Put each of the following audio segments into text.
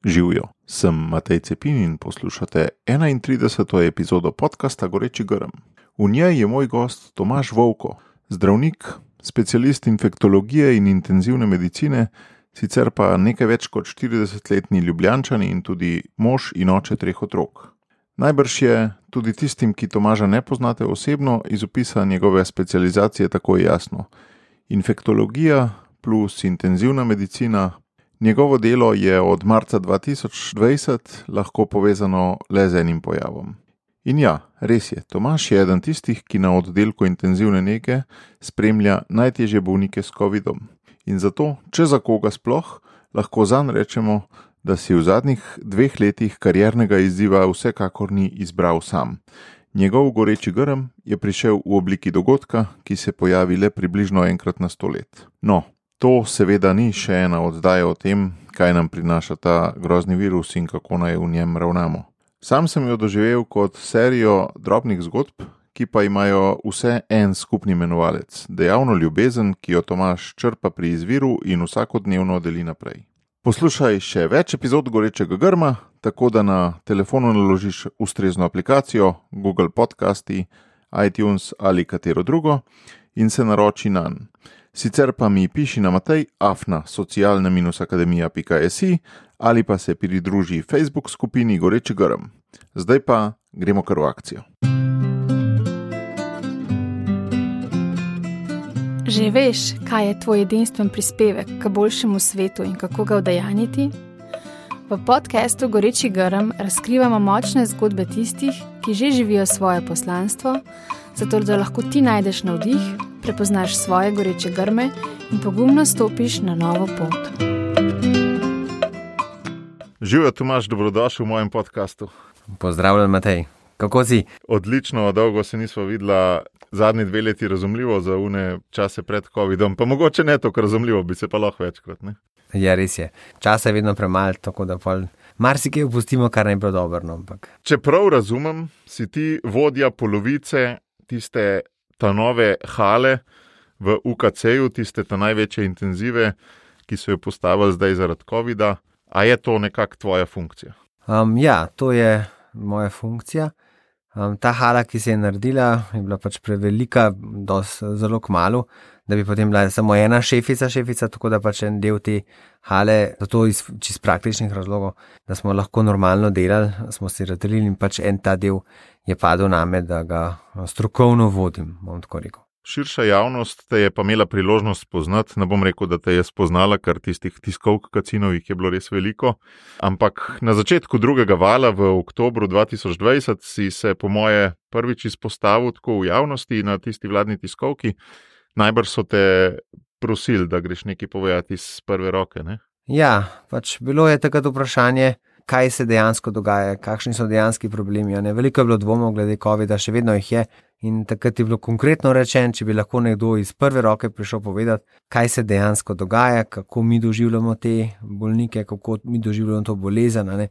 Živjo, sem Matej Cepin in poslušate 31. epizodo podcasta Goreči grm. V njej je moj gost Tomaž Vovko, zdravnik, specialist infektologije in intenzivne medicine, sicer pa nekaj več kot 40-letni Ljubljančan in tudi mož in oče 3 otrok. Najbrž je tudi tistim, ki Tomaža ne poznate osebno, iz opisa njegove specializacije tako jasno. Infektologija plus intenzivna medicina. Njegovo delo je od marca 2020 lahko povezano le z enim pojavom. In ja, res je, Tomaž je eden tistih, ki na oddelku intenzivne nege spremlja najtežje bolnike s covidom. In zato, če za koga sploh, lahko zanj rečemo, da si v zadnjih 2 letih kariernega izziva vsekakor ni izbral sam. Njegov goreči grm je prišel v obliki dogodka, ki se pojavi le približno enkrat na 100 let. No, to seveda ni še ena oddaja o tem, kaj nam prinaša ta grozni virus in kako naj v njem ravnamo. Sam sem jo doživel kot serijo drobnih zgodb, ki pa imajo vse en skupni imenovalec, dejavno ljubezen, ki jo Tomaž črpa pri izviru in vsakodnevno deli naprej. Poslušaj še več epizod Gorečega grma, tako da na telefonu naložiš ustrezno aplikacijo, Google Podcasti, iTunes ali katero drugo in se naroči nanj. Sicer pa mi piši na matej@socialne-akademija.si ali pa se pridruži Facebook skupini Goreči grm. Zdaj pa gremo kar v akcijo. Že veš, kaj je tvoj edinstven prispevek k boljšemu svetu in kako ga udejanjiti? V podcastu Goreči grm razkrivamo močne zgodbe tistih, ki že živijo svoje poslanstvo, zato da lahko ti najdeš navdih, prepoznaš svoje goreče grme in pogumno stopiš na novo pot. Živjo, Tomaž, dobrodošel v mojem podcastu. Pozdravljen, Matej. Kako si? Odlično, dolgo se nismo videla, zadnji 2 leti razumljivo za une čase pred covidom, pa mogoče ne tako razumljivo, bi se pa lahko večkrat, ne? Ja, res je. Časa je vedno premalo, tako da marsikaj opustimo, kar ne bi bilo dobro, ampak. Če prav razumem, si ti vodja polovice tiste ta nove hale v UKC-ju, tiste ta največje intenzive, ki so jo postavili zdaj zaradi covida. A je to nekako tvoja funkcija? Ja, to je moja funkcija. Ta hala, ki se je naredila, je bila pač prevelika, zelo kmalu, da bi potem bila samo ena šefica, tako da pač en del te hale, zato iz čist praktičnih razlogov, da smo lahko normalno delali, smo si razdelili in pač en ta del je padel name, da ga strokovno vodim, bom tako rekel. Širša javnost te je pa imela priložnost spoznati, ne bom rekel, da te je spoznala, ker tistih tiskovk kacinovih je bilo res veliko, ampak na začetku drugega vala v oktobru 2020 si se po moje prvič izpostavil tako v javnosti na tisti vladni tiskovki. Najbrž so te prosili, da greš nekaj povedati iz prve roke, ne? Ja, pač bilo je takrat vprašanje, kaj se dejansko dogaja, kakšni so dejanski problemi. Veliko je bilo dvomov glede covida, še vedno jih je. In takrat je bilo konkretno rečeno, če bi lahko nekdo iz prve roke prišel povedati, kaj se dejansko dogaja, kako mi doživljamo te bolnike, kako mi doživljamo to bolezen,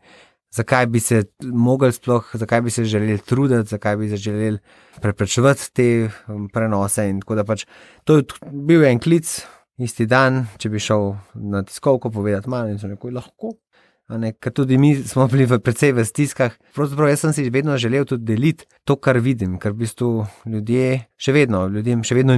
zakaj bi se mogli sploh, zakaj bi se želeli truditi, zakaj bi se želeli preprečevati te prenose. In tako da pač to je bil en klic isti dan, če bi šel na tiskovko povedati malo in so nekoj lahko. Ker tudi mi smo bili precej v stiskah. Pravzaprav jaz sem si vedno želel tudi deliti to, kar vidim, ker v bistvu ljudem še vedno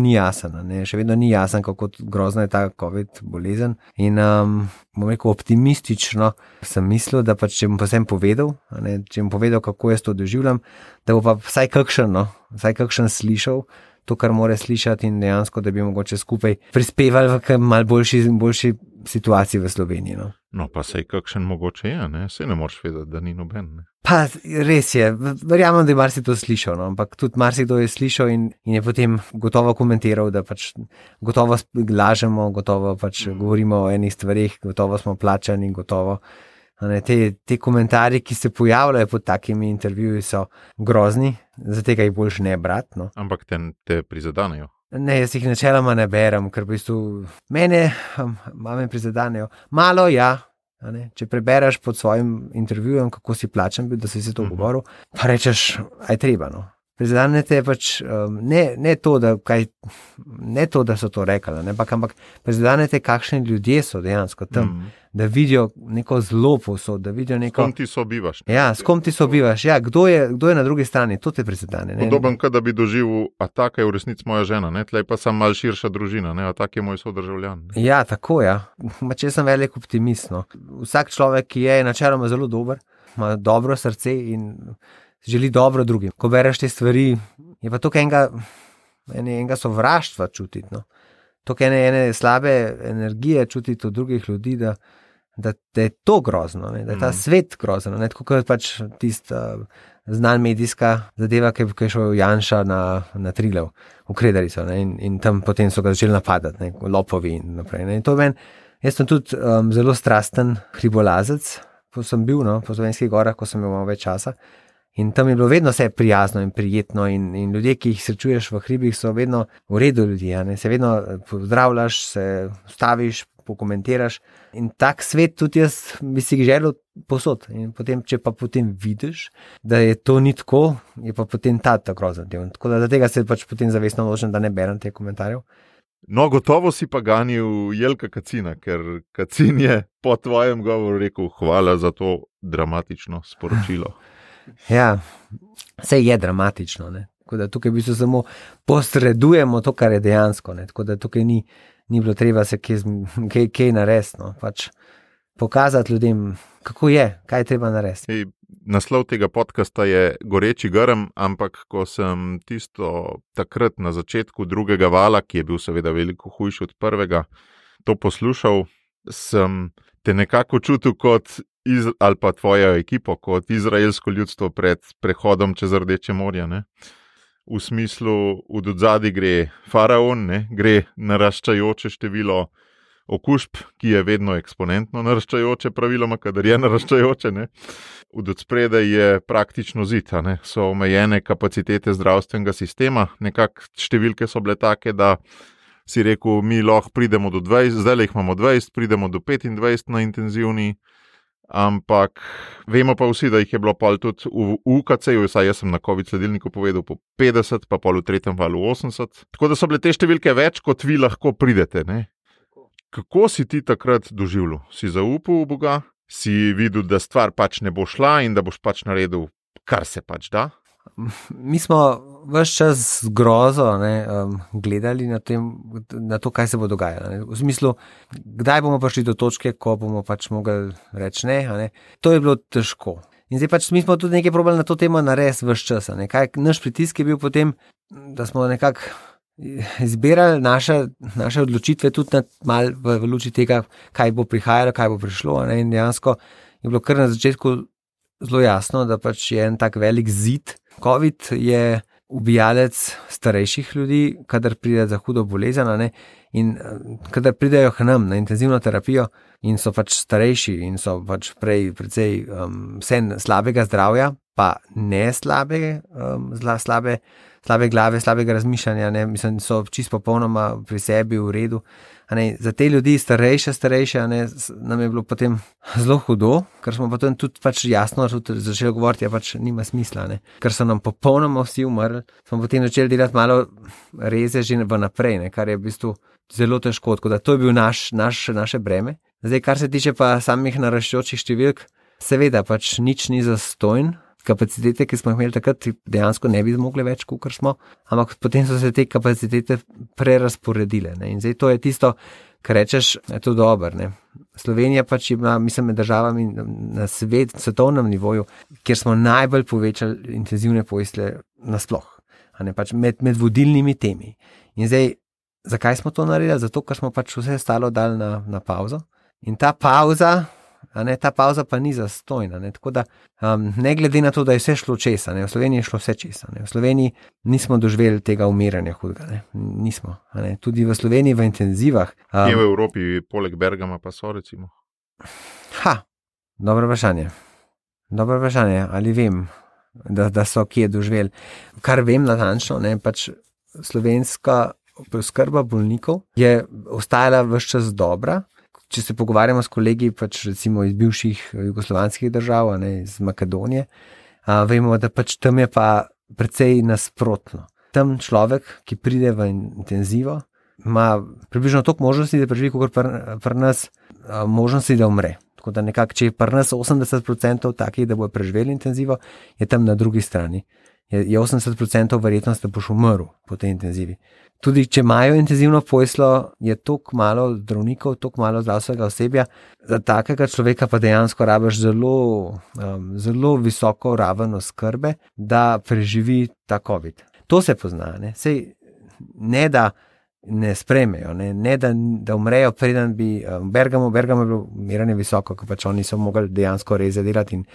ni jasen, še vedno ni jasen, kako grozna je ta COVID bolezen. In bom rekel optimistično sem mislil, da pač če bom pa sem povedal, če bom povedal, kako jaz to doživljam, da bo pa vsaj kakšen slišal to, kar mora slišati in dejansko, da bi mogoče skupaj prispevali v malo boljši situaciji v Sloveniji. No, pa sej kakšen mogoče je, ne? Sej ne moreš vedeti, da ni noben, ne? Pa res je, verjamem, da je marsi to slišal, ampak tudi marsikdo je slišal in je potem gotovo komentiral, da pač gotovo lažemo, gotovo pač govorimo o enih stvarih, gotovo smo plačani, gotovo. Te komentarji, ki se pojavljajo pod takimi intervjuji, so grozni, zato jih boljš ne brati. No. Ampak te prizadanejo? Ne, jaz jih načeloma ne berem, ker v bistvu mene prizadanejo. Malo ja, če prebereš pod svojim intervjujem, kako si plačan bil, da si se to govoril, pa rečeš, aj treba. No. Prizadenete pač ne to, da so to rekli, ampak prizadenete, kakšni ljudje so dejansko tam, da vidijo neko zlo povsod, da vidijo neko... S kom ti sobivaš. Ja, s kom ti sobivaš, ja, kdo je na drugi strani, to te prizadene. Podoben, kot da bi doživel, a taka je v resnici moja žena, ne? Tlej pa sem mal širša družina, ne? A tak je moj sodržavljan. Ne? Ja, tako, ja. Če sem velik optimist, no. Vsak človek, ki je načeloma zelo dober, ima dobro srce in želi dobro drugim. Ko bereš te stvari, je pa tukaj enega sovraštva čutiti, no. Tukaj ene slabe energije čutiti od drugih ljudi, da je to grozno, ne? Da je ta svet grozno, ne? Tako kot pač tista znan medijska zadeva, ki je šel Janša na Triglav, v Kredarico, ne? In tam potem so ga začeli napadati, ne? Lopovi in naprej. Ne? In to meni, jaz sem tudi zelo strasten hribolazec, ko sem bil, no, po Slovenskih gorah, ko sem imel več časa. In tam je bilo vedno vse prijazno in prijetno in ljudje, ki jih srečuješ v hribih, so vedno v redu ljudje, ne? Se vedno pozdravljaš, se staviš, pokomentiraš in tak svet tudi jaz bi si želel posod. In potem, če pa potem vidiš, da je to ni tako, je pa potem ta grozen del. Tako da tega se pač potem zavestno odločim, da ne berem teh komentarjev. No, gotovo si pa ganil Jelka Kacina, ker Kacin je po tvojem govoru rekel hvala za to dramatično sporočilo. Ja, vse je dramatično, ne. Tako da tukaj v bistvu samo posredujemo to, kar je dejansko, ne. Tako da tukaj ni bilo treba se kaj narediti, no. Pač pokazati ljudem, kako je, kaj je treba narediti. Naslov tega podcasta je Goreči grm, ampak ko sem tisto takrat na začetku drugega vala, ki je bil seveda veliko hujši od prvega, to poslušal, sem te nekako čutil kot ali pa tvojo ekipo, kot izraelsko ljudstvo pred prehodom čez Rdeče morje, ne? V smislu, v odzadi gre faraon, ne? Gre naraščajoče število okužb, ki je vedno eksponentno naraščajoče, praviloma, kadar je naraščajoče, ne? V odspredaj je praktično zid, ne? So omejene kapacitete zdravstvenega sistema, nekako številke so bile take, da si rekel, mi lahko pridemo do 20, zdaj jih imamo 20, pridemo do 25 na intenzivni, ampak vemo pa vsi, da jih je bilo pol tudi v UKC-ju, saj jaz sem na COVID sledilniku povedal po 50, pa pol v tretjem valu 80. Tako da so bile te številke več, kot vi lahko pridete, ne? Kako si ti takrat doživljal? Si zaupal v Boga? Si videl, da stvar pač ne bo šla in da boš pač naredil, kar se pač da? Mi smo ves čas z grozo gledali na to, kaj se bo dogajalo. Ne? V smislu, kdaj bomo prišli do točke, ko bomo pač mogli reči ne? To je bilo težko. In zdaj pač mi smo tudi nekaj probali na to temo narediti ves čas. Naš pritisk je bil potem, da smo nekako izbirali naše odločitve tudi malo v luči tega, kaj bo prihajalo, kaj bo prišlo. Ne? In dejansko je bilo kar na začetku zelo jasno, da pač je en tak velik zid. COVID je ubijalec starejših ljudi, kadar pride za hudo bolezen, ne? In kadar pridejo k nam na intenzivno terapijo in so pač starejši in so pač precej slabega zdravja, pa ne slabe glave, slabega razmišljanja, ne? Mislim, so čisto popolnoma pri sebi v redu. Za te ljudi starejše, nam je bilo potem zelo hudo, ker smo potem tudi pač jasno začeli govoriti, ja pač nima smisla, ne? Ker so nam popolnoma vsi umrli, smo potem začeli delati malo reze že naprej, ne? Kar je v bistvu zelo težko, tako da to je bil naše breme. Zdaj, kar se tiče pa samih naraščajočih številk, seveda pač nič ni zastonj. Kapacitete, ki smo jih imeli takrat, dejansko ne bi zmogli več, kakor smo, ampak potem so se te kapacitete prerasporedile. Ne? In zdaj to je tisto, kar rečeš, je to dobro. Ne? Slovenija pač ima, mislim, med državami na svetovnem nivoju, kjer smo najbolj povečali intenzivne postelje nasploh, pač med vodilnimi temi. In zdaj, zakaj smo to naredili? Zato, ker smo pač vse ostalo dali na pauzo. In ta pauza pa ni zastojna. Tako da, ne glede na to, da je vse šlo česa, v Sloveniji je šlo vse česa. V Sloveniji nismo doživeli tega umiranja hudega. Nismo. Tudi v Sloveniji v intenzivah. Kje v Evropi, poleg Bergama pa so recimo? Dobro vprašanje. Ali vem, da so kje doživeli. Kar vem natančno, pač slovenska preskrba bolnikov je ostajala ves čas dobra. Če se pogovarjamo s kolegi, pač recimo iz bivših jugoslovanskih držav, iz Makedonije, vemo, da pač tam je pa precej nasprotno. Tam človek, ki pride v intenzivo, ima približno toliko možnosti, da preživi, kot pri nas možnosti, da umre. Tako da nekako, če je pri nas 80% takih, da bojo preživeli intenzivo, je tam na drugi strani. Je 80% verjetnost, da boš umrl po tej intenzivi. Tudi če imajo intenzivno poslo, je toliko malo zdravnikov, toliko malo zdravstvenega osebja, za takega človeka pa dejansko rabiš zelo visoko raven oskrbe, da preživi ta COVID. To se pozna, ne? Sej, ne da ne sprejmejo, ne da umrejo, preden bi Bergamo je bilo umiranje visoko, ko pač oni so mogli dejansko res delati in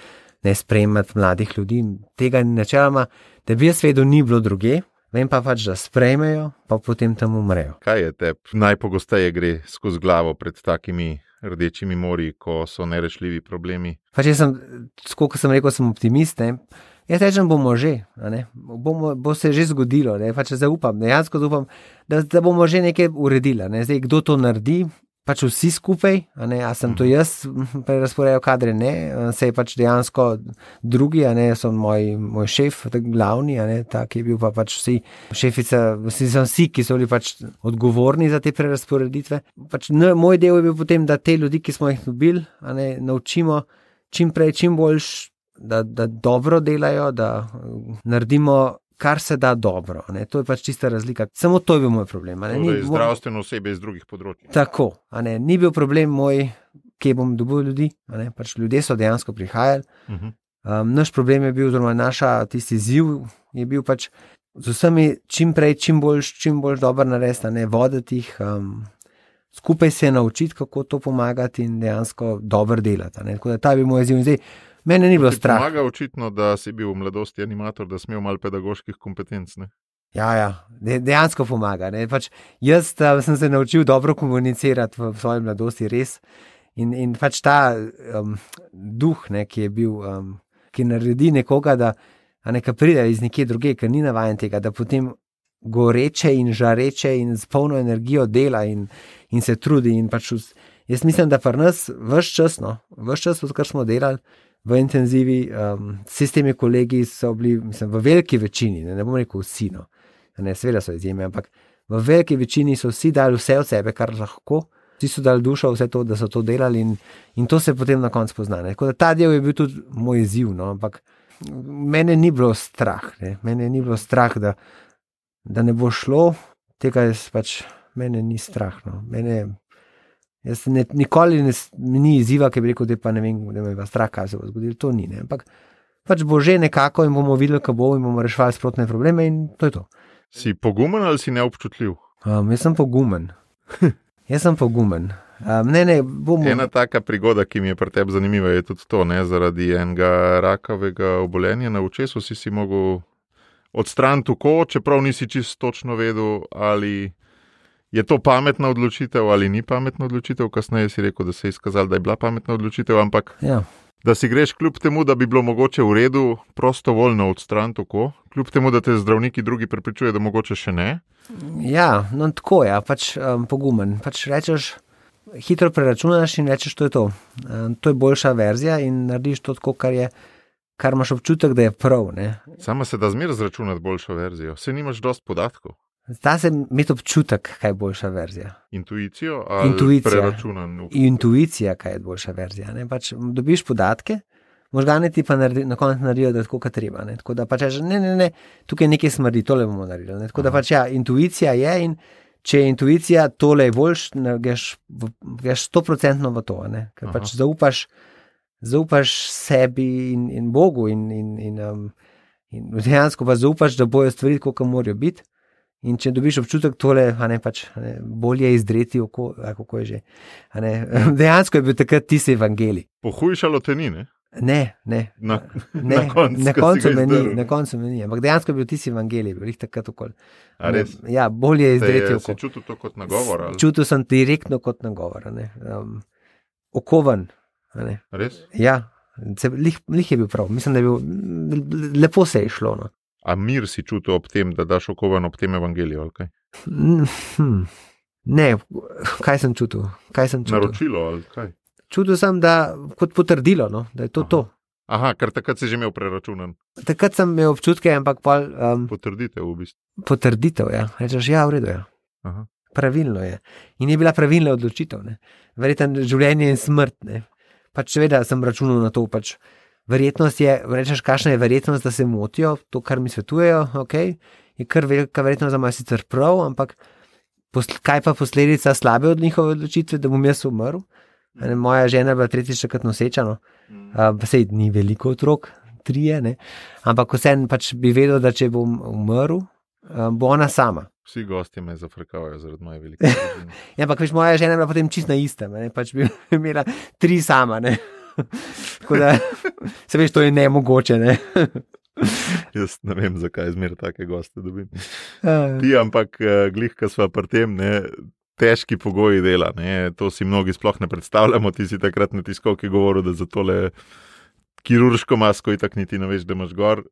ne sprejemati mladih ljudi. Tega načeloma, da bi jaz vedel, ni bilo druge, vem pa pač, da sprejmejo, pa potem tam umrejo. Kaj je tebi najpogosteje gre skozi glavo pred takimi rdečimi morji, ko so nerešljivi problemi? Pač jaz sem, kot sem rekel, sem optimist, ne? Jaz rečem, bomo že, bo se že zgodilo, ne? Pač zaupam, dejansko zaupam, da bomo že nekaj uredili. Ne? Zdaj, kdo to naredi, pač vsi skupaj, a sem to jaz prerazporejal kadre, ne, se je pač dejansko drugi, so moj šef, glavni, ta, ki je bil pa pač vsi, šefica, vsi, ki so bili pač odgovorni za te prerasporeditve. Pač moj del je bil potem, da te ljudi, ki smo jih dobili, naučimo čim prej, čim boljš, da dobro delajo, da naredimo kar se da dobro. To je pač čista razlika. Samo to je bil moj problem. Ni zdravstveno osebe iz drugih področij. Tako. Ni bil problem moj, kje bom dobil ljudi. Pač ljudje so dejansko prihajali. Naš problem je bil, oziroma tisti izziv je bil pač z vsemi čim prej, čim bolj dobro narediti, voditi jih, skupaj se naučiti, kako to pomagati in dejansko dobro delati. Tako da ta bi moj izziv. Zdaj, mene ni bilo strah. Pomaga očitno, da si bil v mladosti animator, da si imel malo pedagoških kompetenc, ne? Ja, dejansko pomaga. Pač jaz sem se naučil dobro komunicirati v svoji mladosti, res. In pač ta duh, ki je bil, ki naredi nekoga, da neka pride iz nekje druge, ker ni navajen tega, da potem goreče in žareče in s polno energijo dela in se trudi. In pač jaz mislim, da pri nas ves čas, odkar smo delali v intenzivi, vsi s temi kolegi so bili, mislim, v veliki večini, ne bom rekel vsi, seveda so izjeme, ampak v veliki večini so vsi dali vse od sebe, kar lahko, vsi so dali dušo vse to, da so to delali in to se potem na koncu pozna. Tako da ta del je bil tudi moj izziv, ampak mene ni bilo strah, da ne bo šlo, tega pač mene ni strah, Jaz nikoli ni izziva, ki bi rekel, da pa ne vem, da me je strah, kaj se bo zgodilo, to ni, ampak pač bo že nekako in bomo videli, kaj bo in bomo reševali sprotne probleme in to je to. Si pogumen ali si neobčutljiv? Jaz sem pogumen. Ena taka prigoda, ki mi je pri tebi zanimiva, je tudi to, zaradi enega rakavega obolenja na očesu si mogel odstraniti oko, čeprav nisi čisto točno vedel, ali je to pametna odločitev ali ni pametna odločitev. Kasneje si rekel, da se je izkazalo, da je bila pametna odločitev, ampak da si greš kljub temu, da bi bilo mogoče v redu prostovoljno odstraniti oko, kljub temu, da te zdravniki drugi prepričujejo, da mogoče še ne. Ja, tako je, pač pogumen. Pač rečeš, hitro preračunaš in rečeš, to je to. To je boljša verzija in narediš to tako, kar imaš občutek, da je prav. Sama se da zmeraj zračunati boljšo verzijo, saj nimaš dosti podatkov. Da se imeti občutek, kaj je boljša verzija. Intuicijo ali preračunan? Intuicija, kaj je boljša verzija. Pač dobiš podatke, možgane ti pa na koncu naredijo, da je tako, kot treba. Tako da pač ne, tukaj nekaj smrdi, tole bomo naredili. Tako da pač intuicija je in če je intuicija, tole je boljš, greš 100% v to. Ker pač zaupaš sebi in Bogu in dejansko pa zaupaš, da bojo stvari, kako morajo biti. In če dobiš občutek tole, bolje izdreti oko, kako je že. Dejansko je bil takrat tisti evangelij. Pohujšalo te ni, ne? Ne. Na koncu me ni. Ampak dejansko je bil tisti evangelij, bil jih takrat okoli. A res? Ja, bolje izdreti oko. Si čutil to kot nagovor? Čutil sem direktno kot nagovor. Okovan. Res? Ja, lih je bil prav. Mislim, da je bil, lepo se je šlo. A mir si čutil ob tem, da daš okovan ob tem evangeliju, ali kaj? Ne, kaj sem čutil? Naročilo, ali kaj? Čutil sem, da kot potrdilo, da je to to. Aha, ker takrat si že imel preračunan. Takrat sem imel občutke, ampak pol Potrditev v bistvu. potrditev, ja. Rečeš, ja, v redu je. Aha. Pravilno je. In je bila pravilna odločitev, ne. Verjetno življenje in smrt, ne. Pač seveda sem računal na to, pač verjetnost je, rečeš, kakšna je verjetnost, da se motijo, to, kar mi svetujejo, okej, je kar velika verjetnost, da imajo sicer prav, ampak kaj pa posledica slabe od njihove odločitve, da bom jaz umrl? Moja žena je bila tretjič takrat noseča, no. Pa sej ni veliko otrok, 3, ne. Ampak vseeno pač bi vedel, da če bom umrl, bo ona sama. Vsi gostje me zafrkavajo zaradi moje velike družine. Ja, ampak veš, moja žena je bila potem čisto na istem, ne, pač bi imela 3 sama, ne. Tako da, se veš, to je nemogoče, ne. Jaz ne vem, zakaj zmeraj take goste dobim. Ti, ampak glih, ko sva pri tem, ne, težki pogoji dela, ne, to si mnogi sploh ne predstavljamo, ti si takrat na tiskovki govoril, da za tole kirurško masko itak niti ne veš, da imaš gor.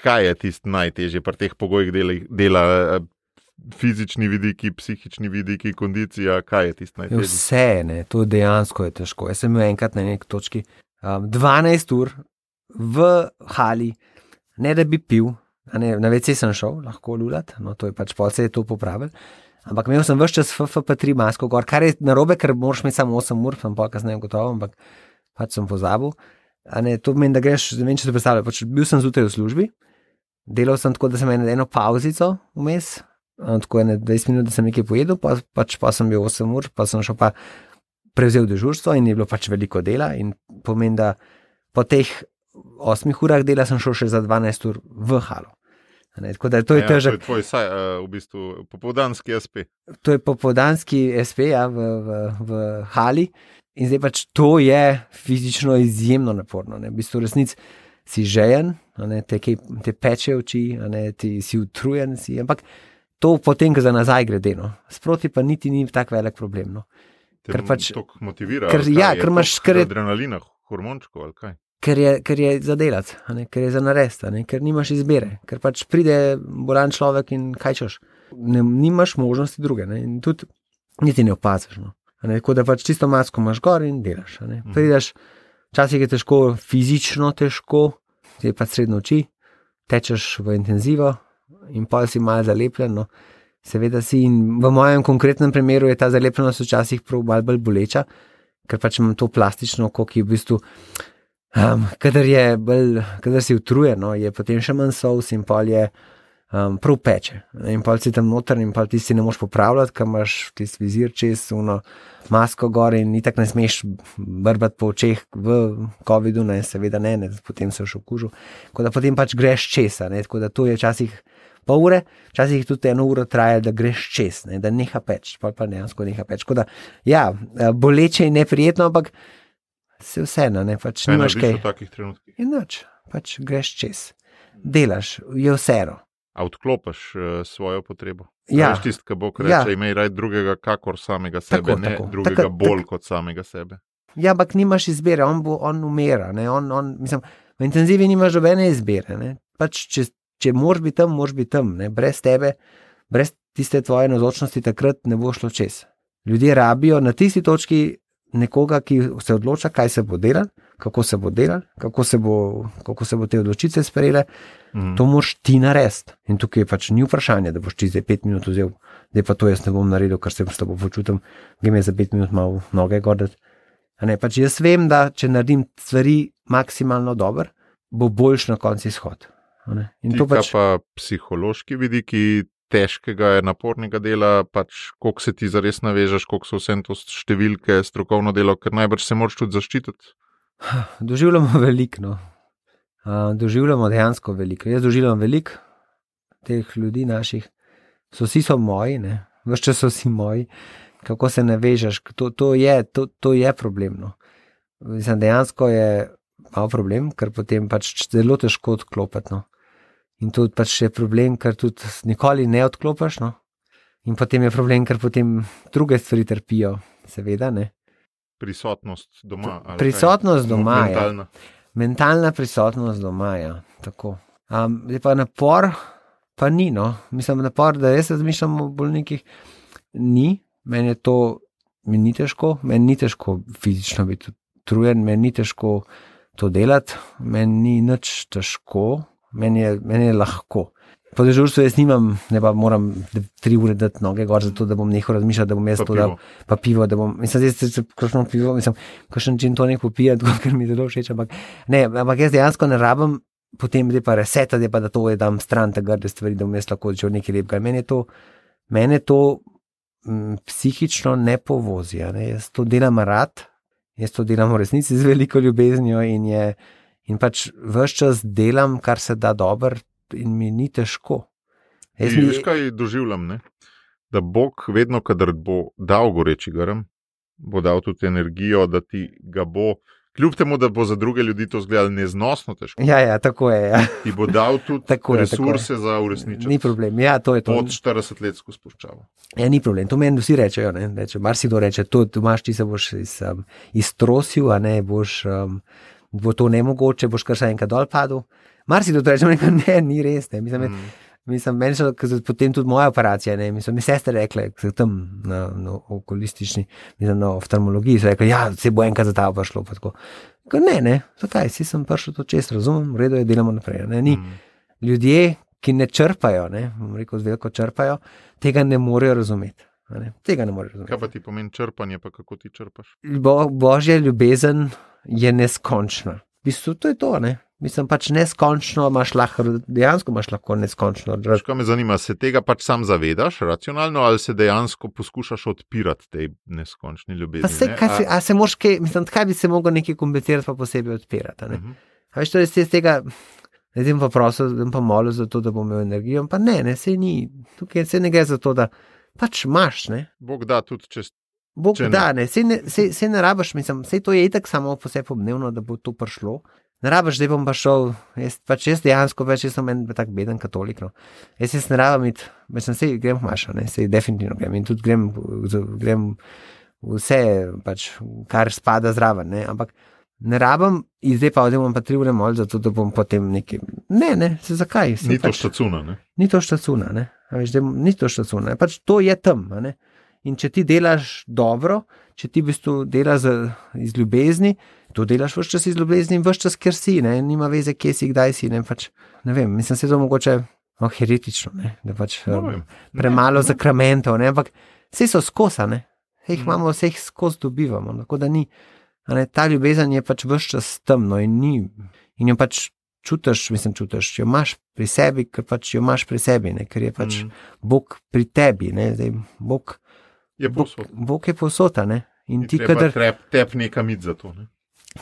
Kaj je tisto najtežje pri teh pogojih dela fizični vidiki, psihični vidiki, kondicija, kaj je tisto najtežje? Vse, ne, to dejansko je težko. Jaz sem imel enkrat na neki točki 12 ur v hali, ne da bi pil, na WC sem šel, lahko lulat, no to je pač pol se je to popravil, ampak imel sem ves čas FFP3 masko gor, kar je narobe, ker moraš imeti samo 8 ur, sem pol kasneje gotovo, ampak pač sem pozabil. To pomeni, da greš, ne vem, če se predstavlja, pač bil sem zjutraj v službi, delal sem tako, da sem imel eno pauzico vmes, tako 20 minut, da sem nekaj pojedel, pa sem bil 8 ur, pa sem šel pa prevzel dežurstvo in je bilo pač veliko dela in pomeni, da po teh 8 urah dela sem šel še za 12 ur v halo. Tako da to je težak. To je tvoj v bistvu popoldanski SP. To je popoldanski SP, ja, v hali. In zdaj pač to je fizično izjemno naporno. Ne. V bistvu resnic si žejen, te peče oči, ti si utrujen, ampak to potem, ko za nazaj gre, no. Sproti pa niti ni tak velik problem. No. Ker pač to motivira. Ker imaš adrenalina, hormončko ali kaj? Ker je za delat, ker je za narediti, ker nimaš izbire, ker pač pride bolan človek in kaj češ. Nimaš možnosti druge, ne. In tudi niti ne opaziš. No. Tako da pač čisto masko imaš gor in delaš. Prideš, včasih je težko, fizično težko, je pa srednjo oči, tečeš v intenzivo in pol si malo zalepljen, no. Seveda si in v mojem konkretnem primeru je ta zalepljenost včasih prav malo bolj boleča, ker pač imam to plastično oko, ki je v bistvu, kadar si utrujen, no, je potem še manj solz in pol je prav peče. In pol si tam noter in pol ti si ne moš popravljati, ker imaš tisti vizir čez, masko gor in itak ne smeš brbati po očeh v covidu, ne, seveda ne, potem se še okužil. Tako da potem pač greš čez, tako da to je včasih pol ure, včasih tudi 1 uro traja, da greš čez, ne, da neha peč, pol pa dejansko neha peč. Tako da, ja, boleče in neprijetno, ampak se vseeno, ne, pač nimaš kaj. Kaj narediš v takih trenutkih? In nič, pač greš čez. Delaš, je vseeno. A odklopiš svojo potrebo? Ja. Veš tisti, ki bo reče, imej raj drugega kakor samega sebe, drugega bolj kot samega sebe. Ja, ampak nimaš izbire, on umira, ne, mislim, v intenzivi nimaš nobene izbire, ne, pač če moraš biti tam, ne, brez tebe, brez tiste tvoje navzočnosti takrat ne bo šlo čez. Ljudje rabijo na tisti točki nekoga, ki se odloča, kaj se bo delal, kako se bo delal, kako se bo te odločitve sprejele, to moraš ti narediti. In tukaj pač ni vprašanje, da boš ti zdaj 5 minut vzel, zdaj pa to jaz ne bom naredil, ker se s tabo počutim, grem je za 5 minut malo noge gordati. Pač jaz vem, da če naredim stvari maksimalno dobro, bo boljš na koncu izhod. In to pač... pa psihološki vidiki težkega, napornega dela, pač koliko se ti zares navežeš, koliko so vsem to številke, strokovno delo, ker najbrž se moraš tudi zaščititi. Doživljamo veliko, no. Doživljamo dejansko veliko. Jaz doživljam veliko teh ljudi naših. Vsi so moji, ne. Ves čas so vsi moji. Kako se navežeš, to je problem, no. Mislim, dejansko je malo problem, ker potem pač zelo težko odklopiti, no. In to pač je problem, ker tudi nikoli ne odklopiš, no. In potem je problem, ker potem druge stvari trpijo, seveda, ne. Prisotnost doma. Prisotnost doma, mentalna. Mentalna prisotnost doma, ja. Tako. Je pa napor, pa ni, no. Mislim, napor, da jaz razmišljam o bolnikih, ni. Meni ni težko fizično biti utrujen, meni ni težko to delati. Meni ni nič težko, meni je lahko. Po dežurstvu jaz nimam, ne pa moram 3 ure dati noge gor, zato da bom nehal razmišljati, da bom jaz to dal, pa pivo, da bom, kakšno pivo, kakšen gin tonic popijati, ker mi zelo všeč, ampak jaz dejansko ne rabim, potem je pa resetati, pa da to je dam stran te grde stvari, da bom jaz lahko začel nekaj lepega. Mene to psihično ne povozi, ne? Jaz to delam rad, jaz to delam v resnici z veliko ljubeznijo in pač ves čas delam, kar se da dobro, in mi ni težko. Veš, kaj doživljam, ne? Da Bog vedno, kadar bo dal goreči grm, bo dal tudi energijo, da ti ga bo, kljub temu, da bo za druge ljudi to izgledalo neznosno težko. Ja, tako je. Ja. Ti bo dal tudi resurse za uresničiti. Ni problem, ja, to je to. Pod 40 let skozi spuščavo. Ja, ni problem, to meni vsi rečejo, ne? Marsikdo reče, to imaš, ti se boš iztrosil, a ne, bo to nemogoče, boš kar še enkrat dol padel. Marsikdo reče, ne, ni res, ne. Mislim, meni so potem tudi moja operacija, ne, mislim, mi sestre rekle, tam na okulistični, mislim, na oftalmologiji, so rekli, ja, se bo enkrat za ta prišlo, pa tako. Ne, zakaj, si sem prišel to čest, razumem, v redu je, delamo naprej, ne, ni. Ljudje, ki ne črpajo, ne, bom rekel, z veliko črpajo, tega ne morejo razumeti. Tega ne morejo razumeti. Kaj pa ti pomeni črpanje, pa kako ti črpaš? Božja ljubezen je neskončna. V bistvu to je to, ne. Mislim, pač neskončno dejansko imaš lahko neskončno. Kaj me zanima, se tega pač sam zavedaš racionalno ali se dejansko poskušaš odpirati tej neskončni ljubezni? Kaj bi se mogel nekaj komplicirati pa posebej odpirati? Ne? A veš, to je z tega, pa prosil, pa molil za to, da bom imel energijo, pa ne, sej ni, tukaj se ne gre za to, da pač imaš, ne. Bog da tudi čez. Bog da, ne, sej ne rabaš, mislim, sej to je itak samo po sebi obdnevno, da bo to prišlo. Ne rabaš, zdaj bom pa šel, jaz dejansko več, jaz sem en tak beden katolik, no. Jaz ne rabam iti, sej grem v mašo, ne, sej definitivno grem in tudi grem vse, pač, kar spada zraven, ne, ampak ne rabam in zdaj pa odem pa 3 ure moliti, zato da bom potem nekaj, ne, zakaj? Ni to štacuna, ne? Ni to štacuna, ne, ni to štacuna, pač to je tam, ne. In če ti delaš dobro, če ti v bistvu delaš iz ljubezni, to delaš vse čas iz ljubezni in vse čas, ker si, ne, nima veze, kje si, kdaj si, ne, pač, ne vem, mislim, se to mogoče heretično, ne, da pač premalo zakramentov, ne, ampak vse so skosa, ne, vse jih imamo, vse jih skos dobivamo, tako da ni, ne, ta ljubezen je pač vse čas temno in ni, in jo pač čutiš, jo imaš pri sebi, ker pač jo imaš pri sebi, ne, ker je pač Bog pri tebi, ne, zdaj Bog je posota, ne. In ti, kadar tep nekam id za to, ne.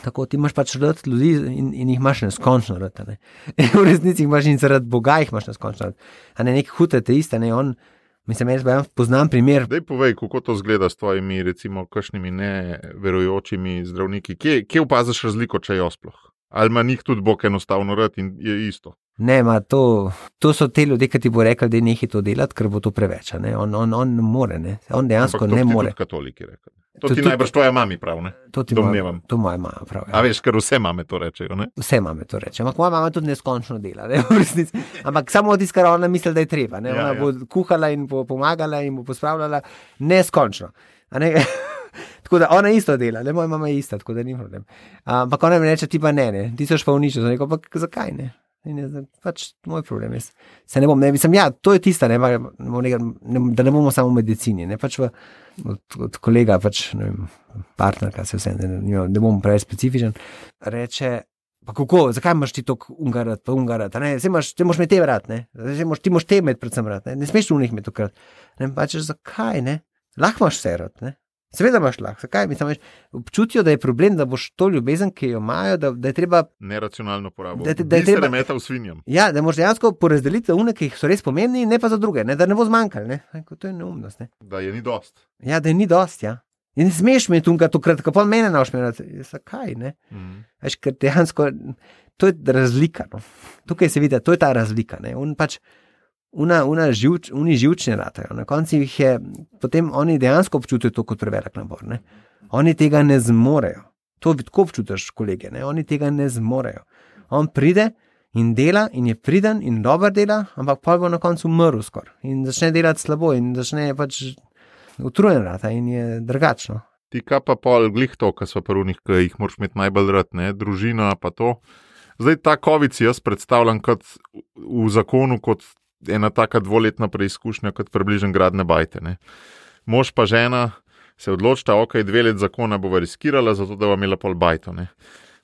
Tako, ti imaš pač rad ljudi in jih imaš neskončno rad, ne. V resnici jih imaš in zaradi Boga jih imaš neskončno rad. A ne, nek hud ateist, ne, jaz poznam primer. Daj povej, kako to zgleda s tvojimi, recimo, kakšnimi neverujočimi zdravniki. Kje opaziš razliko, če jo sploh? Ali ima njih tudi Bog enostavno rad in je isto? Ne, to so te ljudje, ki ti bo rekel, da je nekaj to delati, ker bo to preveč, ne. On ne more, ne. On dejansko ne more. Ampak to ti tudi katoliki rekel. To ti najbrž tvoja mami prav, ne? Domnevam. To moja mama prav, ja. A veš, ker vse mame to rečejo, ne? Vse mame to rečejo, ampak moja mama tudi neskončno dela, ne, v resnici. Ampak samo od tiskara ona misli, da je treba, ne. Ona bo kuhala in bo pomagala in bo pospravljala neskončno, a ne. Tako da ona isto dela, ne, moja mama je ista, tako da ni problem. Ampak ona mi reče, ti pa ne, ti so pa uničil, rekel, pa zakaj ne? In je pač moj problem, jaz se ne bom, ne, mislim, ja, to je tista, ne, da ne bomo samo v medicini, ne, pač od kolega, pač, ne vem, partnerka se vse, ne bom preveč specifičen, reče, pa kako, zakaj imaš ti tok ungarat, ne, ti moš me te vrat, ne, ti moš te med predvsem vrat, ne smeš unih med tokrat, ne, pač, zakaj, ne, lahko imaš vse vrat, ne. Seveda imaš lahko, zakaj? Mislim, občutijo, da je problem, da boš to ljubezen, ki jo imajo, da je treba neracionalno porabo. Da je treba remeta v svinjam. Ja, da moraš dejansko porazdeliti une, ki so res pomembni, ne pa za druge, ne, da ne bo zmanjkalo, ne. To je neumnost, ne. Da je ni dost. Ja, da je ni dost, ja. In ne smeš mi tunga tokrat, kako mene naošmerati. Zakaj, ne? Veš, ker dejansko to je razlika, no. Tukaj se vidi, to je ta razlika, ne. On pač oni živčni ratajo. Na koncu jih je, potem oni dejansko občutijo to kot prevelik nabor, ne. Oni tega ne zmorejo. To tako občutiš, kolege, ne. Oni tega ne zmorejo. On pride in dela in je priden in dober dela, ampak pol bo na koncu umrl skoraj. In začne delati slabo in začne pač utrujen rata in je drugačno. Ti kaj pa pol glih to, kar so prvnih, ki jih moraš imeti najbolj rad, ne, družina pa to. Zdaj ta COVID si jaz predstavljam kot v zakonu kot ena taka 2-letna preizkušnja, kot približen gradne bajte, ne. Mož pa žena se odločita, ok, 2 let zakona bova riskirala, zato da bova imela pol bajto, ne.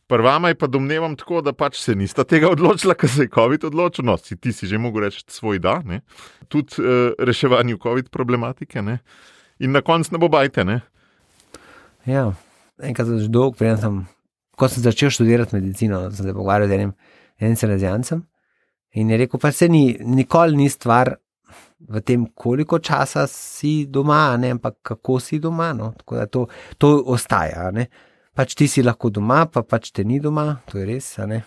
Prvama je pa domnevam tako, da pač se nista tega odločila, ker se je COVID odločil, no, ti si že mogel reči svoj da, ne. Tudi reševanju COVID problematike, ne. In na koncu ne bo bajte, ne. Ja, enkrat že dolgo, ko sem začel študirati medicino, sem se pogovarjal z enim salezijancem in je rekel, pa se nikoli ni stvar v tem, koliko časa si doma, ne, ampak kako si doma, no, tako da to ostaja, ne. Pač ti si lahko doma, pa pač te ni doma, to je res, ne.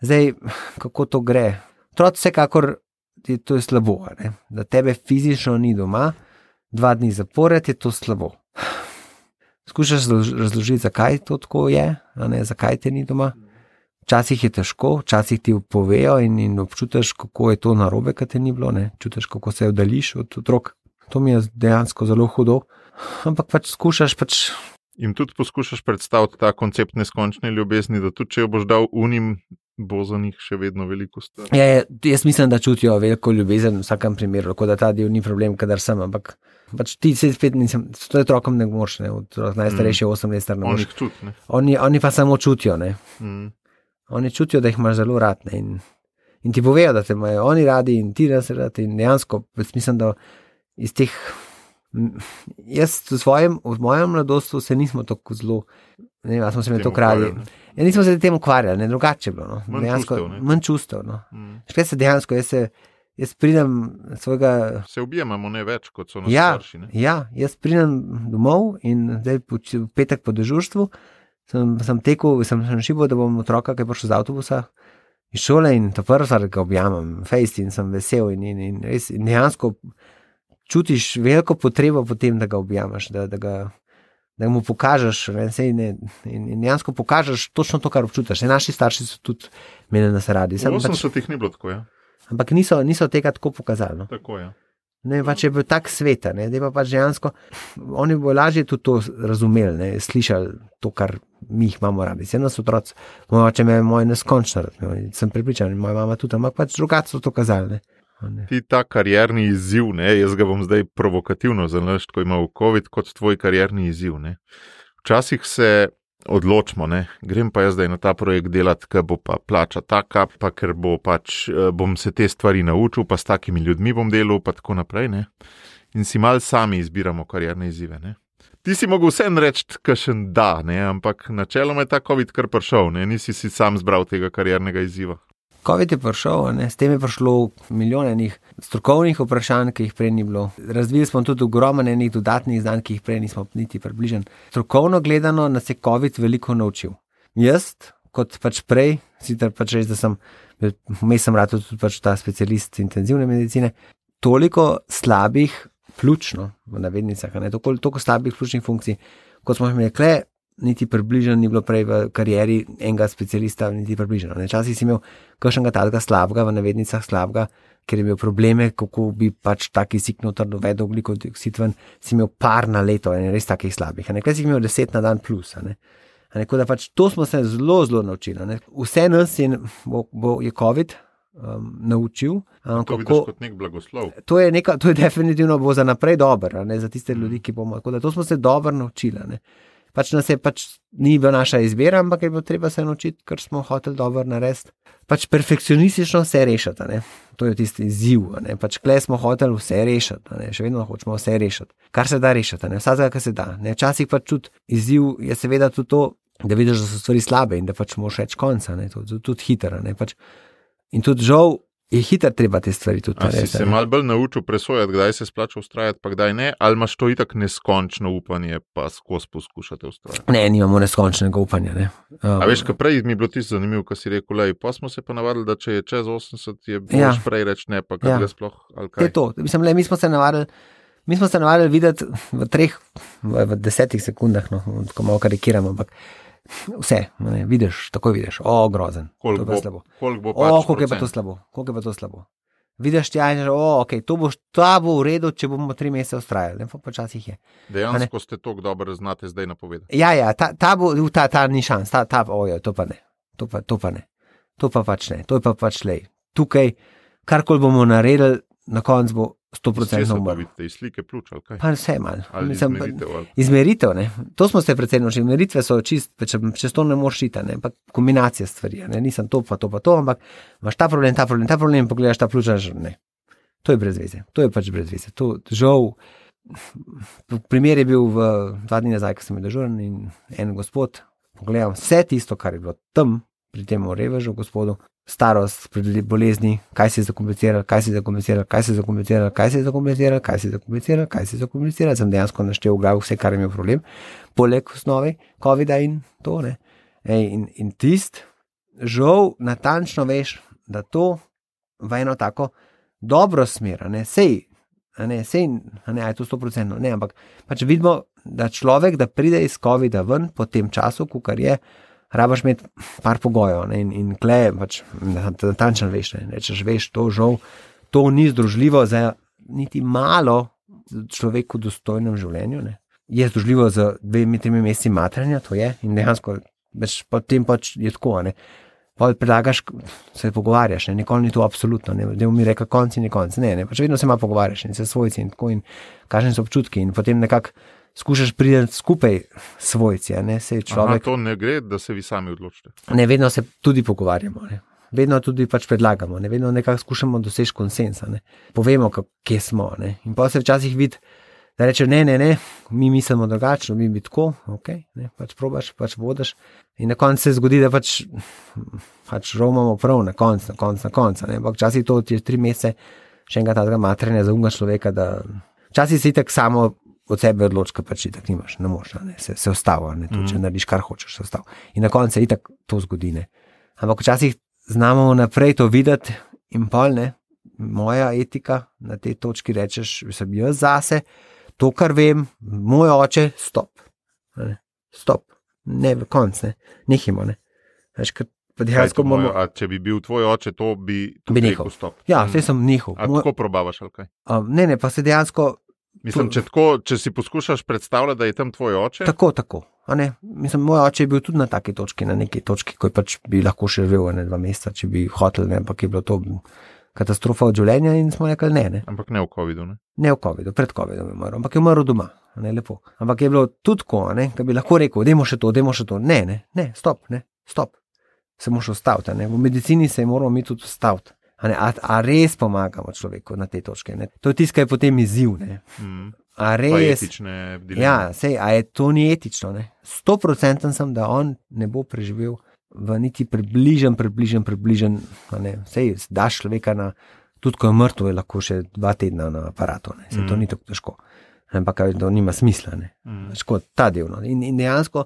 Zdaj, kako to gre? Otroci vsekakor, to je slabo, ne, da tebe fizično ni doma, 2 dni zapored je to slabo. Skušaš razložiti, zakaj to tako je, ne, zakaj te ni doma. Včasih je težko, včasih ti povejo in občutiš, kako je to narobe, kad te ni bilo, ne, čutiš, kako se oddališ od otrok. To mi je dejansko zelo hudo, ampak pač skušaš pač. In tudi poskušaš predstaviti ta koncept neskončne ljubezni, da tudi če jo boš dal unim, bo za njih še vedno veliko star. Ja, jaz mislim, da čutijo veliko ljubezen v vsakem primeru, tako da ta del ni problem, kadar sem, ampak pač ti se spet nisem, to je otrokom ne moš, ne, najstarejši 8 let star ne moš. Oni pa samo čutijo, ne. Oni čutijo, da jih imaš zelo rad, ne, in ti povejo, da te imajo oni radi in ti nas radi in dejansko, mislim, da iz teh. Jaz v mojem mladosti se nismo tako zelo, ne vem, smo se me to krali. Ja, nismo se tem ukvarjali, ne, drugače bilo, no. Manj čustev, no. Škaj se dejansko, jaz pridem svojega. Se objemamo ne več, kot so nas starši, ne. Ja, jaz pridem domov in zdaj v petek po dežurstvu sem tekel, sem šibal, da bom otroka, ki je prišel z avtobusa iz šole in to prvo stvar, ga objamem, fejst in sem vesel in res in dejansko čutiš veliko potrebo potem, da ga objamaš, da mu pokažeš, in dejansko pokažeš točno to, kar občutiš. Naši starši so tudi mene nas radi. V 80-ih ni bilo tako, ja. Ampak niso tega tako pokazali. No. Tako, ja. Ne, pač je bil tak svet, ne, da pa pač dejansko, oni bo lažje tudi to razumeli, ne, slišali to, kar mi jih imamo radi. Vse nas otroci, moj oče me je moj neskončno rad, sem prepričan, moja mama tudi, ampak pač drugače so to kazali, ne. Ti ta karierni izziv, ne, jaz ga bom zdaj provokativno zanašal, ko ima v COVID, kot tvoj karierni izziv, ne. Včasih se odločimo, ne, grem pa jaz zdaj na ta projekt delati, ker bo pa plača taka, pa ker bo pač, bom se te stvari naučil, pa s takimi ljudmi bom delal, pa tako naprej, ne. In si malo sami izbiramo karierne izzive, ne. Ti si mogel vsem reči, kakšen da, ne, ampak načeloma je ta COVID kar prišel, ne, nisi si sam zbral tega kariernega izziva. COVID je prišel, ne, s tem je prišlo milijone enih strokovnih vprašanj, ki jih prej ni bilo. Razvili smo tudi ogromno enih dodatnih znanj, ki jih prej nismo niti približen. Strokovno gledano nas je COVID veliko naučil. Jaz, kot pač prej, sicer pač reči, da sem rad tudi pač ta specialist intenzivne medicine, toliko slabih pljučno, v navednicah, ne, toliko slabih pljučnih funkcij, kot smo imeli kle, niti približen ni bilo prej v karieri enega specialista, niti približeno. Včasih si imel kakšnega takega slabega, v navednicah slabega, ker je imel probleme, kako bi pač tak kisik noter dovedel ogljikov dioksid ven, si imel par na leto, res takih slabih. Kaj si imel 10 na dan plus. Tako da pač to smo se zelo, zelo naučili. Vse nas je COVID naučil. To vidiš kot nek blagoslov. To je definitivno bo za naprej dobro, za tiste ljudi, ki bomo. Tako da to smo se dobro naučili. Pač nas je ni bila naša izbira, ampak je bilo treba se naučiti, ker smo hoteli dobro narediti. Pač perfekcionistično vse rešiti, ne. To je tisti izziv, ne. Pač kle smo hoteli vse rešiti, ne. Še vedno hočemo vse rešiti. Kar se da rešiti, ne. Vsega, kar se da, ne. Včasih pač tudi izziv je seveda tudi to, da vidiš, da so stvari slabe in da pač moraš reči konca, ne. Tudi hitro, ne. Pač. In tudi žal je hitro treba te stvari tudi narediti. Si se malo bolj naučil presojati, kdaj se splača ustrajati, pa kdaj ne, ali imaš to itak neskončno upanje, pa skozi poskušate ustrajati? Ne, nimamo neskončnega upanja, ne. A veš, kaj prej mi je bilo tisto zanimivo, ko si rekel, lej, pa smo se pa navadili, da če je čez 80, je boš prej reči ne, pa kaj ga sploh, ali kaj? Je to, mislim, lej, mi smo se navadili videti v 10 sekundah, no, tako malo karikiramo, ampak vse, ne, vidiš, takoj vidiš, grozen. Koliko bo pač koliko je pa to slabo. Vidiš tja in rečeš, ta bo v redu, če bomo 3 mesece ustrajali. Pa počasih je. Dejansko ste tako dobro znate zdaj napovedati. Ja, ta ni šans, to pa ne. To pa ne. To pa pač ne. To je pa pač lej. Tukaj, karkoli bomo naredili, na koncu bo 100% umrl. Iz slike pljuč, ali kaj? Pa vse malo. Izmeritev, ali? Izmeritev, ne. To smo se predvsem naučili. Izmeritve so čez to ne moreš iti, ne. Pa kombinacija stvari, ne. Nisem to, ampak imaš ta problem, pogledaš ta pljuča, ne. To je brez veze. To je pač brez veze. To, žal, primer je bil 2 dni nazaj, ko sem bil dežuren in en gospod, pogledam vse tisto, kar je bilo tam, pri tem revežu gospodu, starost, bolezni, kaj se je zakompliciral, sem dejansko naštel v glavu vse, kar je imel problem, poleg osnove covida in to, ne. In tist, žal, natančno veš, da to v eno tako dobro smer, ne, sej, je to 100%, ne, ampak pač vidimo, da človek, da pride iz covida ven po tem času, kar je, rabaš imeti par pogojev, ne, in kle, pač, natančno veš, ne, rečeš, veš, to žal, to ni združljivo za niti malo človeku v dostojnem življenju, ne. Je združljivo za 2-3 meseci matranja, to je, in dejansko, potem pač je tako, ne. Predlagaš, se pogovarjaš, ne, nikoli ni to absolutno, ne, da mi reka konc in konc, ne, pač vedno se malo pogovarjaš in se svojci in tako in kakšni so občutki in potem nekako skušaš priti skupaj svojci, ne, sej človek. To ne gre, da se vi sami odločite. Ne, vedno se tudi pogovarjamo, ne. Vedno tudi pač predlagamo, ne, vedno nekako skušamo doseči konsensa, ne. Povemo, kje smo, ne. In pa se včasih vidi, da reče, ne, mi mislimo drugačno, mi bi tako, ne, pač probaš, pač vodiš. In na koncu se zgodi, da pač romamo prav na koncu, ne. Ampak včasih to je 3 mesece še enega tazga matranja za unga človeka, da včasih si itak samo od sebe odločka, pač itak nimaš, ne moš, ne, se ostava, ne, to, če narediš kar hočeš, se ostava. In na koncu se itak to zgodi, ne. Ampak včasih znamo naprej to videti in pol, ne, moja etika na tej točki rečeš, sem jaz zase, to, kar vem, moj oče, stop, ne, v konc, ne, nehimo, ne. Veš, ker pa dejansko bomo... A če bi bil tvoj oče, to bi nehal. Stop. Ja, vse sem nehal. A tako probavaš, ali kaj? Ne, pa se dejansko... Mislim, če si poskušaš predstavljati, da je tam tvoj oče? Tako, a ne, mislim, moj oče je bil tudi na taki točki, na neki točki, ko pač bi lahko še živel 2 meseca, če bi hotel, ne, ampak je bilo to katastrofa od življenja in smo rekli ne. Ampak ne v covidu, ne? Ne v covidu, pred covidom je umrl, ampak je umrl doma, ne, lepo. Ampak je bilo tudi tako, ne, da bi lahko rekel, dajmo še to, ne, stop, se moraš ustaviti, ne, v medicini se moramo mi tudi ustaviti. A res pomagamo človeku na tej točki, ne? To je tisto, kaj je potem izziv, ne? A res... Pa etične dileme. Ja, sej, a je to ni etično, ne? 100% sem, da on ne bo preživel v niti približen, ne? Sej, daš človeka na, tudi ko je mrtev, je lahko še 2 tedna na aparatu, ne? Sej, to ni tako težko. Ampak to nima smisla, ne? Težko, ta del, no? In dejansko,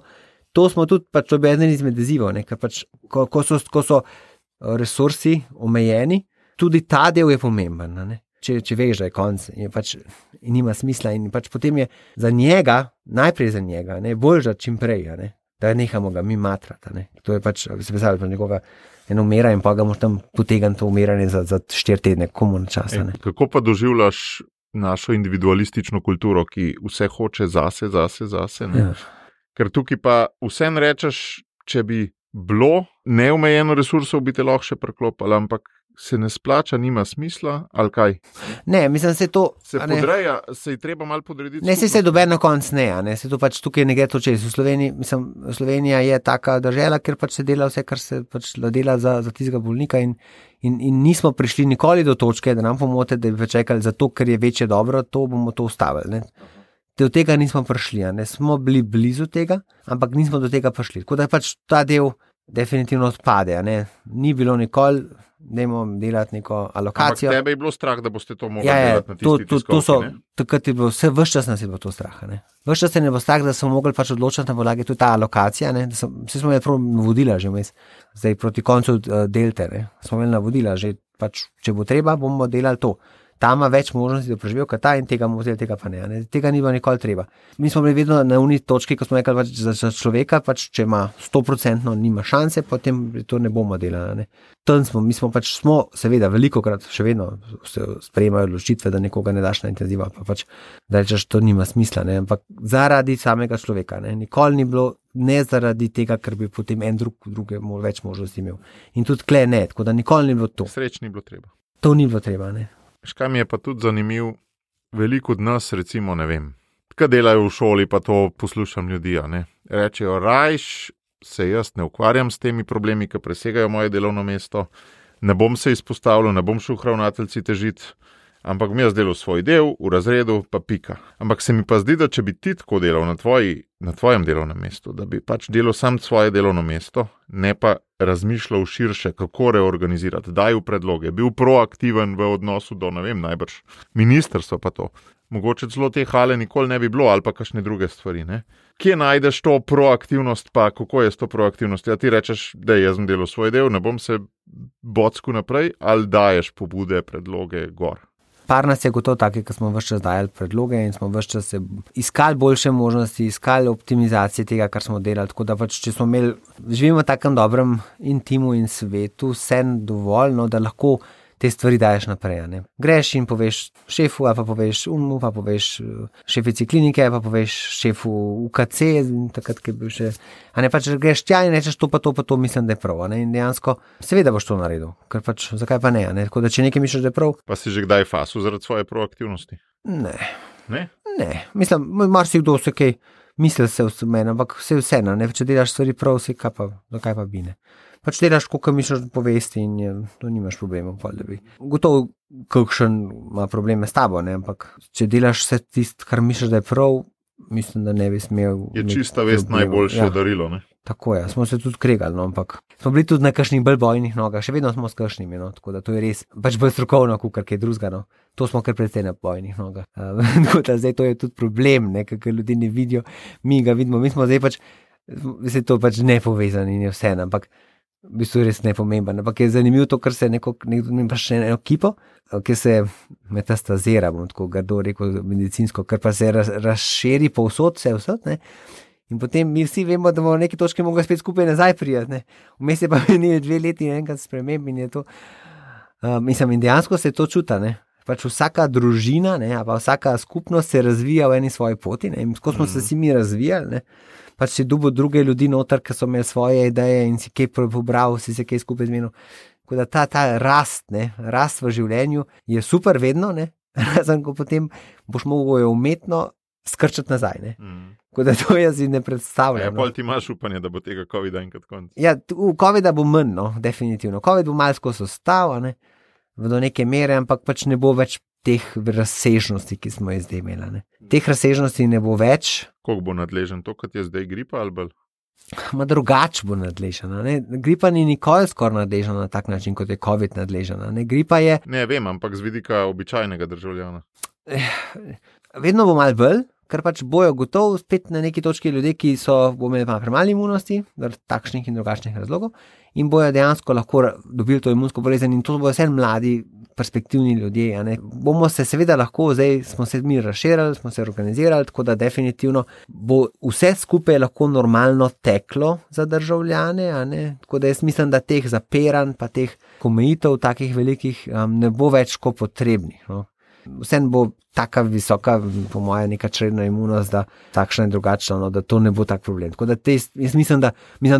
to smo tudi, pač to je eden izmed izzivov, ne? Ker pač, ko so resursi omejeni, tudi ta del je pomemben, ne? Če veš, da je konc, je pač nima smisla in pač potem je za njega, najprej za njega, ne, bolj da čim prej, ne, da nehamo ga mi matrati, ne. To je pač, se predstavljati, nekoga eno umira in pa ga moš tam potegati to umiranje za 4 tedne, komu na časa, ne. Kako pa doživljaš našo individualistično kulturo, ki vse hoče zase, ne? Ja. Ker tukaj pa vsem rečeš, če bi bilo neomejeno resursov, bi te lahko še preklopili, ampak se ne splača, nima smisla, ali kaj? Ne, mislim, se to... Se podreja, se je treba malo podrediti. Ne, se dober na konc ne, ne, se to pač tukaj ne gre to čez. V Sloveniji, mislim, Slovenija je taka država, ker pač se dela vse, kar se pač dela za tistega bolnika in nismo prišli nikoli do točke, da nam pomote, da bi čakali za to, ker je večje dobro, to bomo to ustavili, ne. Do tega nismo prišli, ne, smo bili blizu tega, ampak nismo do tega prišli. Tako da pač ta del definitivno odpade, ne, ni bilo nikoli, dajmo delati neko alokacijo. Ampak tebe je bilo strah, da boste to mogli delati na tisti tiskovki, ne? Takrat je bilo vse, ves čas nas je bilo to strah, ne. Ves čas se ne bo strah, da smo mogli pač odločiti na podlagi tudi ta alokacija, ne, vse smo imeli prav navodila že vmes, zdaj proti koncu delte, ne, smo imeli navodila že pač, če bo treba, bomo delali to. ta ima več možnosti, da preživel, kot ta in tega mu vzeli, tega pa ne. Tega ni bilo nikoli treba. Mi smo bili vedno na uni točki, ko smo rekli, pač za človeka, pač, če ima 100% nima šanse, potem to ne bomo delali. Mi smo seveda velikokrat še vedno se sprejemajo odločitve, da nekoga ne daš na intenziva, pa pač, da rečeš, to nima smisla, ne? Ampak zaradi samega človeka, ne? Nikoli ni bilo, ne zaradi tega, ker bi potem en druge več možnosti imel. In tudi tle ne, tako da nikoli ni bilo to. Sreč ni bilo treba. To ni bilo treba, ne. Škaj mi je pa tudi zanimiv, veliko od nas, recimo, ne vem, kaj delajo v šoli, pa to poslušam ljudi, ne. Rečejo, rajš se jaz ne ukvarjam s temi problemi, ki presegajo moje delovno mesto, ne bom se izpostavljal, ne bom šel k ravnateljici težiti, ampak mi jaz delal svoj del, v razredu, pa pika. Ampak se mi pa zdi, da če bi ti tako delal na tvojem delovnem mestu, da bi pač delal sam svoje delovno mesto, ne pa razmišljal širše, kako reorganizirati, daj v predloge, bil proaktiven v odnosu do, ne vem, najbrž ministrstva pa to. Mogoče celo te hale nikoli ne bi bilo, ali pa kakšne druge stvari, ne. Kje najdeš to proaktivnost, pa kako je s to proaktivnost? Ja, ti rečeš, da jaz sem delal svoj del, ne bom se bocku naprej, ali daješ pobude, predloge gor? Par nas je gotovo taki, ki smo ves čas dajali predloge in smo ves čas iskali boljše možnosti, iskali optimizacije tega, kar smo delali. Tako da pač, če smo živimo v takem dobrem intimu in svetu, vse dovolj, da lahko te stvari daješ naprej. Ne? Greš in poveš šefu, ali pa poveš unmu, pa poveš šefici klinike, pa poveš šefu UKC, takrat, ki je bil še. A ne pač greš tja in rečeš to pa to, mislim, da je prav. Ne? In dejansko seveda boš to naredil, ker pač zakaj pa ne? Tako da če nekaj misliš, da je prav. Pa si že kdaj fasil zaradi svoje proaktivnosti? Ne. Ne? Ne. Mislim, marsikdo se kaj misli se v meni, ampak vseeno, ne? Če delaš stvari prav, zakaj pa bi ne? Pač delaš, koliko misliš povesti in to nimaš problemov. Gotovo, kakšen ima probleme s tabo, ne? Ampak če delaš vse tisto, kar misliš, da je prav, mislim, da ne bi smel. Je čista vest najboljše darilo, ne? Tako je, smo se tudi kregali, ampak smo bili tudi na kakšnih bolj bojnih nogah, še vedno smo s kakšnimi, tako da to je res pač bolj strokovno, kakor kaj drugega, To smo kar precej na bojnih nogah. Tako da zdaj to je tudi problem, ne, kakor ljudi ne vidijo, mi ga vidimo, mi smo zdaj pač, se to pač nepovezani in je vse, ampak v bistvu res nepomemben, ampak je zanimivo to, ker se nekdo pa še eno ekipo, ki se metastazira, bom tako grdo rekel medicinsko, ker pa se razširi povsod, ne. In potem mi vsi vemo, da bomo v neki točki mogli spet skupaj nazaj prijeti, ne. Vmes je pa minilo 2 leti in enkrat sprememb in je to, in dejansko se to čuta, ne. Pač vsaka družina, ne, pa vsaka skupnost se razvija v eni svoji poti, ne, in ko smo se vsi mi razvijali, ne, pač si dobil druge ljudi noter, ki so imeli svoje ideje in si kaj pobral, si se kaj skupaj zmenil. Tako da ta rast v življenju je super vedno, ne, razen ko potem boš mogel jo umetno skrčati nazaj, ne. Tako da to jaz si ne predstavljam. Ja, pol ti imaš upanje, da bo tega COVID-a enkrat konc. Ja, COVID-a bo manj, definitivno. COVID bo malo skozi ostal, ne, do neke mere, ampak pač ne bo več teh razsežnosti, ki smo jih zdaj imeli, ne. Teh razsežnosti ne bo več. Koliko bo nadležen to, kot je zdaj gripa ali bolj? Drugač bo nadležena, ne. Gripa ni nikoli skoraj nadležena na tak način, kot je COVID nadležena, ne. Gripa je... Ne, vem, ampak z vidika običajnega državljana. Vedno bo malo bolj, ker pač bojo gotovo spet na neki točki ljudje, ki bo imeli premalo imunosti, takšnih in drugačnih razlogov, in bojo dejansko lahko dobili to imunsko bolezen in to bojo vse mladi, perspektivni ljudje, ne. Bomo se seveda lahko, zdaj smo se mi razširili, smo se organizirali, tako da definitivno bo vse skupaj lahko normalno teklo za državljane, ne. Tako da jaz mislim, da teh zapiranj pa teh omejitev takih velikih ne bo več kot potrebnih, Vsem bo taka visoka, po moje, neka čredna imunost, da takšna in drugačna, da to ne bo tak problem. Tako da jaz mislim,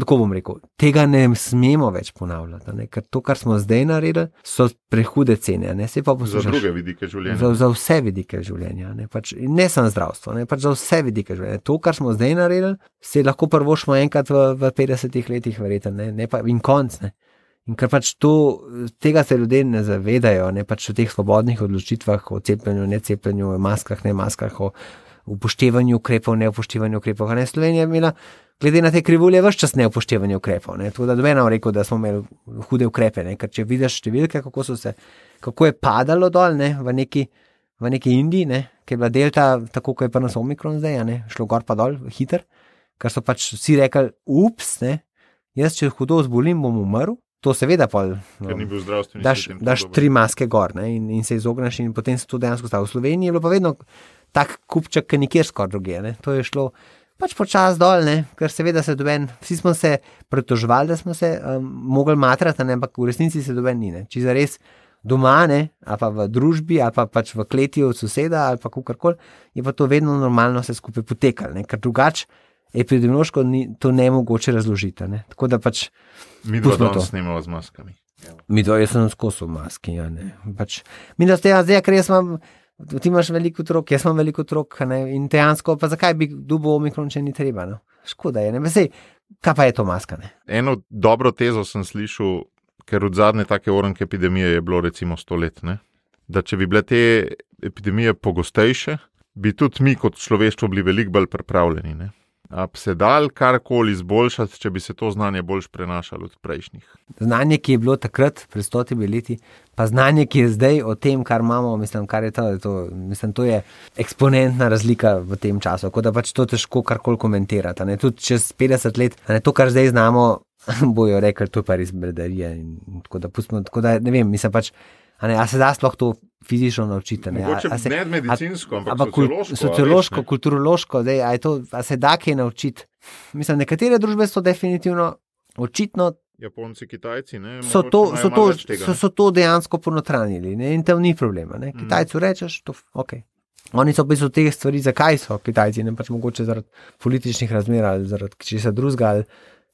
tako bom rekel, tega ne smemo več ponavljati, ne? Ker to, kar smo zdaj naredili, so prehude cene, ne? Se pa poslušaš. Za druge vidike življenja. Za vse vidike življenja, ne? Pač, ne samo zdravstvo, ne? Pač za vse vidike življenja. To, kar smo zdaj naredili, se lahko privoščimo enkrat v 50 letih, verjetno, ne pa in konc, ne. In ker pač tega se ljudje ne zavedajo, ne pač o teh svobodnih odločitvah, o cepljenju, necepljenju, o maskah, ne maskah, o upoštevanju ukrepov, neupoštevanju ukrepov. Slovenija je imela, glede na te krivulje, ves čas neupoštevanje ukrepov, ne. Tako da dobeno rekel, da smo imeli hude ukrepe, ne. Ker če vidiš številke, kako je padalo dol, ne, v neki Indiji, ne, ki je bila delta, tako kot je pa nas Omikron zdaj, ne, šlo gor pa dol, hiter, ker so pač vsi rekli, ups, ne, jaz če hudo zbolim, bom umrl. to seveda pol. Ker ni bil zdravstveni sistem. Daš 3 maske gor, ne, in se izogneš in potem se to dejansko stalo. V Sloveniji je bilo pa vedno tak kupček, ki nikjer skoraj druge, ne. To je šlo pač počas dol, ne, ker seveda se doben, vsi smo se pritoževali, da smo se mogli matrati, ne, ampak v resnici se doben ni, ne. Če zares doma, ne, ali pa v družbi, ali pa pač v kleti od soseda, ali pa kakorkoli, je pa to vedno normalno se skupaj potekalo, ne, ker drugače epidemiološko to ne je mogoče razložiti, ne. Tako da pač Mi dva danes snemamo z maskami. Jaz sem skozi v maski, ja, ne. Pač, mi da ste zdaj, ker ti imaš veliko otrok, jaz imam veliko otrok, ne, in dejansko, pa zakaj bi dobil omikron, če ni treba, no. Škoda je, ne, sej, kaj pa je to maska, ne. Eno dobro tezo sem slišal, ker od zadnje take oranke epidemije je bilo recimo 100 let, ne, da če bi bile te epidemije pogostejše, bi tudi mi kot človeštvo bili veliko bolj pripravljeni, ne. A bi se dal karkoli izboljšati, če bi se to znanje boljš prenašalo od prejšnjih? Znanje, ki je bilo takrat, pred 100 leti, pa znanje, ki je zdaj o tem, kar imamo, mislim, kar je to je eksponentna razlika v tem času, tako da pač to težko karkoli komentirati, ne, tudi čez 50 let, ne, to, kar zdaj znamo, bojo rekli, to je pa res bredarije in tako da pustimo, tako da ne vem, mislim pač, a se da sploh to fizično naučiti, ne. Mogoče ne medicinsko, ampak sociološko, kulturološko, zdaj, a se da kaj naučiti. Mislim, nekatere družbe so definitivno, očitno, Japonci, Kitajci, ne, so to dejansko ponotranjili, ne, in tam ni problema, ne. Kitajcu rečeš, to ok. Oni so v bistvu te stvari, zakaj so Kitajci, ne, pač mogoče zaradi političnih razmer ali zaradi česa drugega ali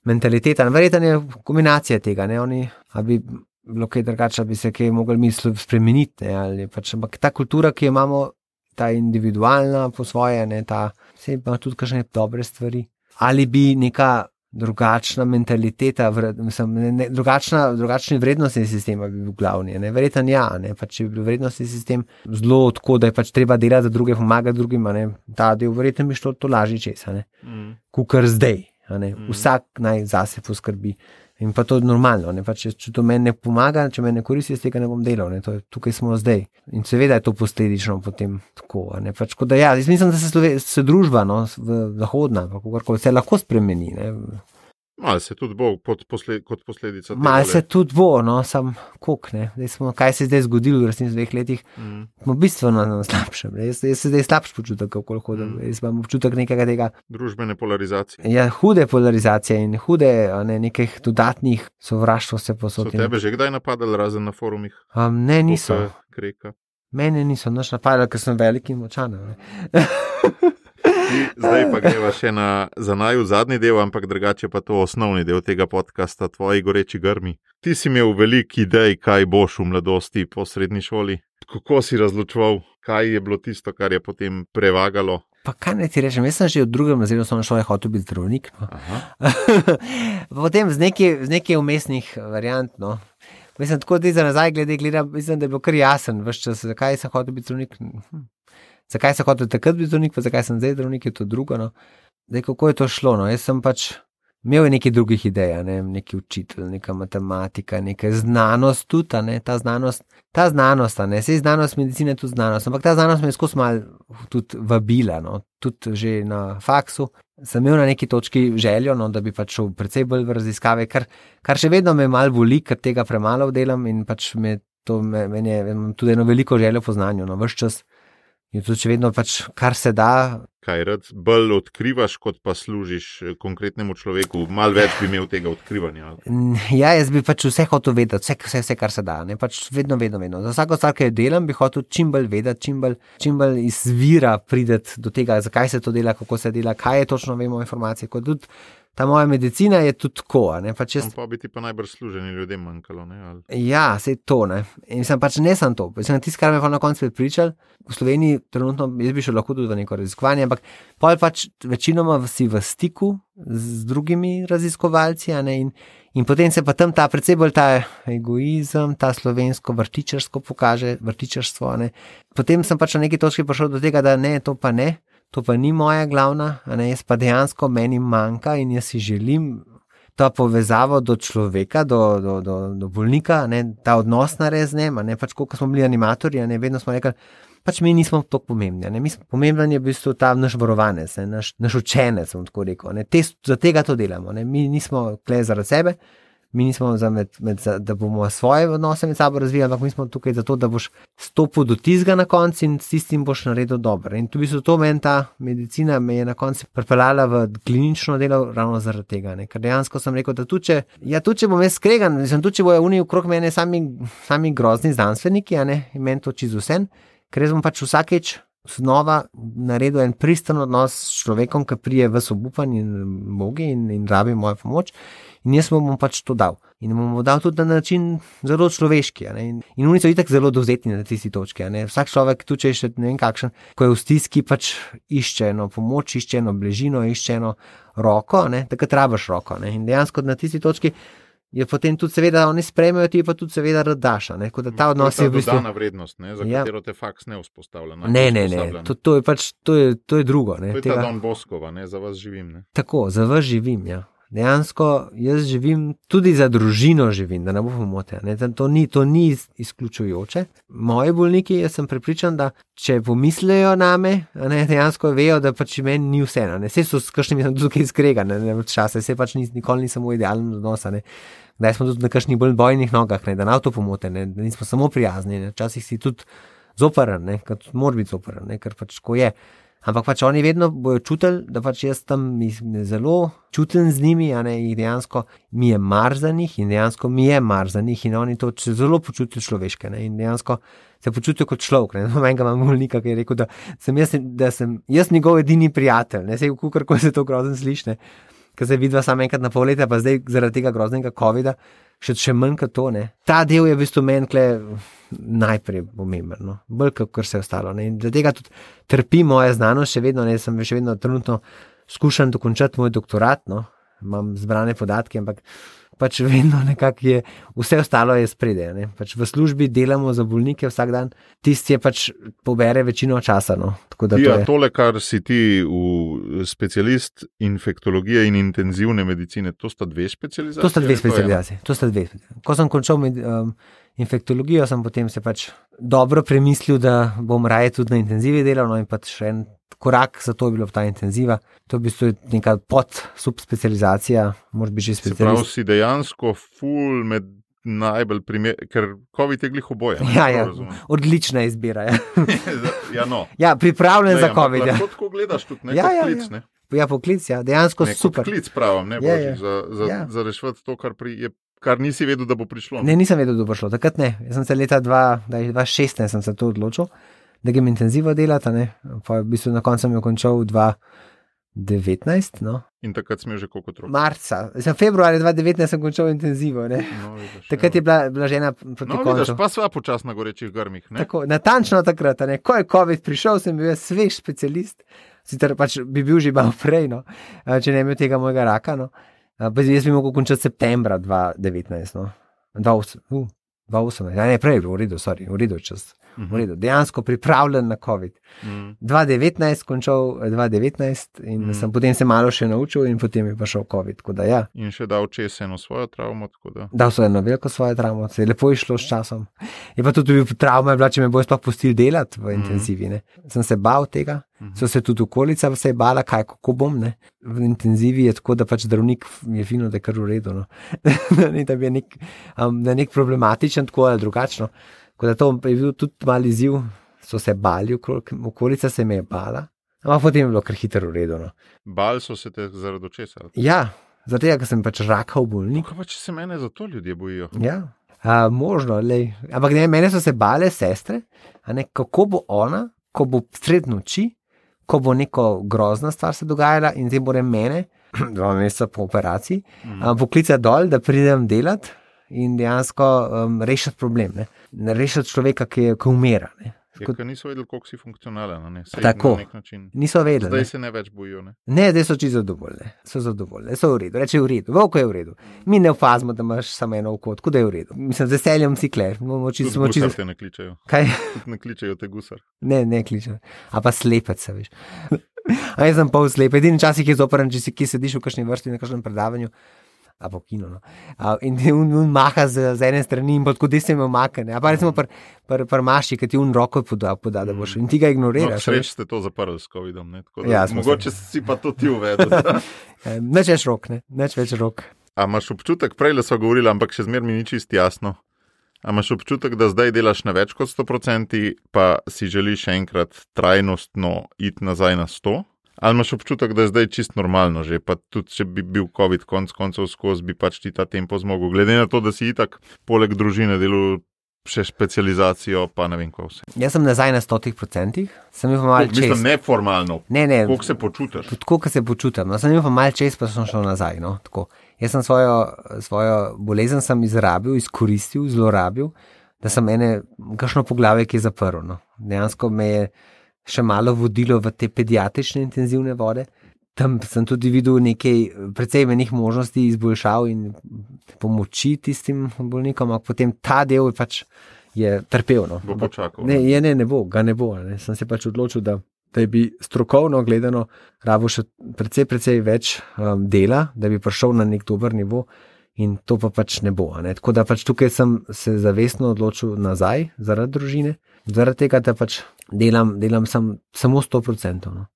mentaliteta, verjetno je kombinacija tega, ne, oni, a bi bilo kaj drugače, bi se kaj mogli misli spremeniti, ne, ali pač, ampak ta kultura, ki jo imamo, ta individualna po svoje, ne, se ima tudi kakšne dobre stvari, ali bi neka drugačna mentaliteta, drugačni vrednostni sistem bi bil glavni, ne, verjetno ja, ne, pač če bi bil vrednostni sistem zelo tako, da je pač treba delati za druge, pomagati drugim, ne, ta del verjetno bi šlo to lažje česa, ne, kakor zdaj, ne, vsak naj zase poskrbi. In pa to je normalno, ne, pač, če to meni ne pomaga, če meni ne koristi, z tega ne bom delal, ne, tukaj smo zdaj. In seveda je to posledično potem tako, ne, pač, da ja, jaz mislim, da se družba, no, zahodna, kakorkoli, se lahko spremeni, ne. Malo se tudi bo kot posledica tega. Malo se tudi bo, no, sam koliko, ne, kaj se je zdaj zgodilo v resnici v 2 letih, smo bistveno na slabšem, ne, jaz se zdaj slabš počutek, kako hodim, jaz imam občutek nekega tega. Družbene polarizacije. Ja, hude polarizacije in hude, ne, nekih dodatnih sovraštvo se posod. So tebe že kdaj napadali razen na forumih? Ne, niso. Kreka. Mene niso naš napadali, ker sem velik in močan, ne. Zdaj pa greva še za naju zadnji del, ampak drugače pa to osnovni del tega podcasta, tvoji goreči grmi. Ti si imel veliko idej, kaj boš v mladosti po srednji šoli. Kako si razločeval, kaj je bilo tisto, kar je potem prevagalo? Pa kaj ne ti rečem, jaz sem že v 2. razredu osnovne šole hotel biti zdravnik, no. Potem z nekaj umestnih variant, no. Mislim, tako da za nazaj gledam, mislim, da je bilo kar jasen ves čas, zakaj sem hotel biti zdravnik. Zakaj sem hotel takrat biti zdravnik, pa zakaj sem zdaj zdravnik, je to drugo, no. Zdaj, kako je to šlo, no, jaz sem pač imel nekaj drugih idej, ne, neki učitelj, neka matematika, neka znanost tudi, ne, ta znanost, ne, sej znanost medicine je tudi znanost, ampak ta znanost me je skozi malo tudi vabila, no, tudi že na faksu, sem imel na neki točki željo, no, da bi pač šel precej bolj v raziskave, kar še vedno me malo boli, ker tega premalo delam in pač meni je tudi eno veliko željo po znanju, no, ves čas. In tudi če vedno pač, kar se da. Kaj rad bolj odkrivaš, kot pa služiš konkretnemu človeku? Malo več bi imel tega odkrivanja. Ja, jaz bi pač vse hotel vedeti, vse, kar se da. Ne? Pač vedno. Za vsako stvar, ki jo delam, bi hotel čim bolj vedeti, čim bolj izvira prideti do tega, zakaj se to dela, kako se dela, kaj je točno vemo informacije. Kot tudi ta moja medicina je tudi tako. Pač pa bi ti pa najbrž služeni ljudem manjkalo, ne? Ali? Ja, sej to, ne. In sem pač ne sem to. Sem tisto, kar me pa na koncu prepričal. V Sloveniji trenutno, jaz bi šel lahko tudi v neko raziskovanje, ampak pol pač večinoma si v stiku z drugimi raziskovalci, ne, in potem se pa tam ta precej bolj ta egoizem, ta slovensko vrtičarstvo pokaže, vrtičarstvo, ne. Potem sem pač na neki točki prišel do tega, da ne, to pa ni moja glavna, ne, jaz pa dejansko meni manjka in jaz si želim ta povezavo do človeka, do bolnika, ne, ta odnos narediti z njim, ne, pač koliko smo bili animatorji, ne, vedno smo rekli, pač mi nismo tako pomembni, ne, pomemben je v bistvu ta naš varovanec, ne, naš učenec, bom tako rekel, ne, za tega to delamo, ne, mi nismo tukaj zaradi sebe, Mi nismo da bomo svoje odnose med sabo razvijali, ampak mi smo tukaj zato, da boš stopil do tizga na koncu in s tistim boš naredil dobro. In tu to meni ta medicina me je na koncu pripeljala v klinično delo ravno zaradi tega. Ne? Ker dejansko sem rekel, da tudi če bom jaz skregan, tudi če bojo oni okrog mene sami grozni znanstveniki, in meni to čisto vse, ker jaz bom pač vsakeč znova naredil en pristen odnos s človekom, ki prije v obupan in mogi in rabi mojo pomoč. In jaz mu bom pač to dal. In mu bom dal tudi na način zelo človeški. In oni so itak zelo dovzetni na tisti točki. Vsak človek, tu če je še ne vem kakšen, ko je v stiski, pač išče eno pomoč, išče eno bližino, išče eno roko, takrat rabiš roko. In dejansko na tisti točki je potem tudi seveda, oni sprejmejo, ti pa tudi seveda rad daš. Da ta odnos je v bistvu dodana vrednost, za katero te faks ne vzpostavlja. Ne. To je pač, to je drugo. To je ta Don Boskova, za vas živim. Tako, za vas živim, ja. Dejansko jaz živim, tudi za družino živim, da ne bo pomote. To ni izključujoče. Moji bolniki, jaz sem prepričan, da če pomislejo name, dejansko vejo, da pač meni ni vse. Vse so s kakšnimi sem tukaj skregan, čase, vse pač nikoli nisem v idealnem odnosu. Da smo tudi na kakšnih bolj bojnih nogah, da nam to pomote, da nismo samo prijazni. Včasih si tudi zoperen, ker mora biti zoperen, ker pač ko je. Ampak pač oni vedno bojo čutili, da pač jaz tam zelo čutim z njimi, jih dejansko mi je mar za njih in dejansko mi je mar za njih in oni to zelo počutijo človeške in dejansko se počutijo kot človek. Menega imam bolnika, ki je rekel, da sem jaz njegov edini prijatelj. Sej kako se to grozno sliši, ker se vidva samo enkrat na pol leta, pa zdaj zaradi tega groznega covida še manj kot to. Ta del je v bistvu meni najprej pomemben, bolj kot vse ostalo. In zaradi tega tudi trpi moja znanost, še vedno, sem še vedno trenutno skušam dokončati moj doktorat, imam zbrane podatke, ampak pač vedno nekako je, vse ostalo je spredaj. Pač v službi delamo za bolnike vsak dan, tisti je pač pobere večino časa. Tole, kar si ti v specialist infektologije in intenzivne medicine, to sta dve specializacije? To sta dve. Ko sem končal infektologijo, sem potem se pač dobro premislil, da bom raje tudi na intenzivi delal, in pač še en korak za to je bilo ta intenziva. To je v bistvu neka subspecializacija, moraš biti že specialist. Se pravi, si dejansko ful med najbolj ker COVID je glih oboje. Ja, odlična izbira. Ja, pripravljen za COVID. Lahko tako gledaš tudi, poklic, ne? Ja, poklic, dejansko super. Poklic pravim, ne božič, za reševati to, kar nisi vedel, da bo prišlo. Ne, nisem vedel, da bo prišlo. Takrat ne. Jaz sem se leta 2016 sem se to odločil, da grem intenzivo delati, pa v bistvu na koncu sem jo končal 2019, In takrat sem že koliko otrok? Marca. Februarja 2019 sem končal intenzivo, Takrat je bila žena proti koncu. Vidiš, pa sva počasno na gorečih grmih, Tako, natančno takrat, Ko je COVID prišel, sem bil svež specialist, sicer pač bi bil že malo prej, če ne imel tega mojega raka, Jaz bi mogel končati septembra 2019, 2018, ne prej, v redu čas. V redu, dejansko pripravljen na COVID. 2019 končal 2019 in potem se malo še naučil in potem je pa šel COVID. In še dal čez eno svojo travmo. Dal so eno veliko svojo travmo, se je lepo išlo s časom. Je pa tudi travma bila, če me bojo sploh pustili delati v intenzivi. Sem se bal tega, so se tudi okolica se je bala, kako bom. V intenzivi je tako, da pač zdravnik je fino, da je kar v redu. Da bi je nek problematičen tako ali drugačno. Tako da to je bil tudi mali izziv, so se bali, okolica se me je bala, ampak potem je bilo kar hitro v redu. Bali so se te zaradi česa? Ja, zaradi tega, ker sem pač rakav bolnik. Kaj pa, če se mene za to ljudje bojijo? Ja, možno, ampak mene so se bale sestre, kako bo ona, ko bo sred noči, ko bo neko grozna stvar se dogajala in zdaj more mene, 2 meseca po operaciji, poklicati dol, da pridem delati. In dejansko rešiti problem, rešiti človeka, ki umira. Ker niso vedeli, koliko si funkcionalen. Tako, niso vedeli. Zdaj se ne več bojijo. Ne, zdaj so čisto zadovoljni. So v redu, reče v redu, Vovko je v redu. Mi ne opazimo, da imaš samo eno oko, tako da je v redu. Mislim, z veseljem si kler. Gusar te ne kličejo. Kaj? Ne kličejo te gusar. Ne kličejo. A pa slepec, se veš. A jaz sem pol slep. Edini časih je zoporen, če si kje sediš v kakšni vrsti, na kakšnem predavanju. Po kino, in on maha z ene strani in tako desno me omakne. A pa recimo pri maši, ki ti roko poda, da boš in ti ga ignoriraš. Sreč ste to zaprli s COVID-om, mogoče si pa to ti uvedel. Neč več rok, A imaš občutek, prej le so govorili, ampak še zmeraj mi ni čisto jasno. A imaš občutek, da zdaj delaš na več kot 100%, pa si želiš enkrat trajnostno iti nazaj na 100%? Ali imaš občutek, da je zdaj čisto normalno že, pa tudi če bi bil COVID konc koncev skozi, bi pač ti ta tempo zmogel, glede na to, da si itak poleg družine delal še specializacijo, pa ne vem, kaj vse. Jaz sem nazaj na 100%, sem imel malo čez. Mislim, neformalno. Ne. Koliko se počutiš? Tako, kot se počutim. No, sem imel malo čez, pa sem šel nazaj. No, tako. Jaz sem svojo bolezen sem izkoristil, zlorabil, da sem kakšno poglavje, ki je zaprl. No. Dejansko me je še malo vodilo v te pediatrične intenzivne vode. Tam sem tudi videl nekaj precej menih možnosti izboljšav in pomoči tistim bolnikom, ampak potem ta del je trpel. No. Bo počakal. Ne bo, ga ne bo. Ne. Sem se pač odločil, da bi strokovno gledano rabo še precej več dela, da bi prišel na nek dober nivo in to pa pač ne bo. Ne. Tako da pač tukaj sem se zavestno odločil nazaj zaradi družine, zaradi tega, da pač delam samo 100%. No.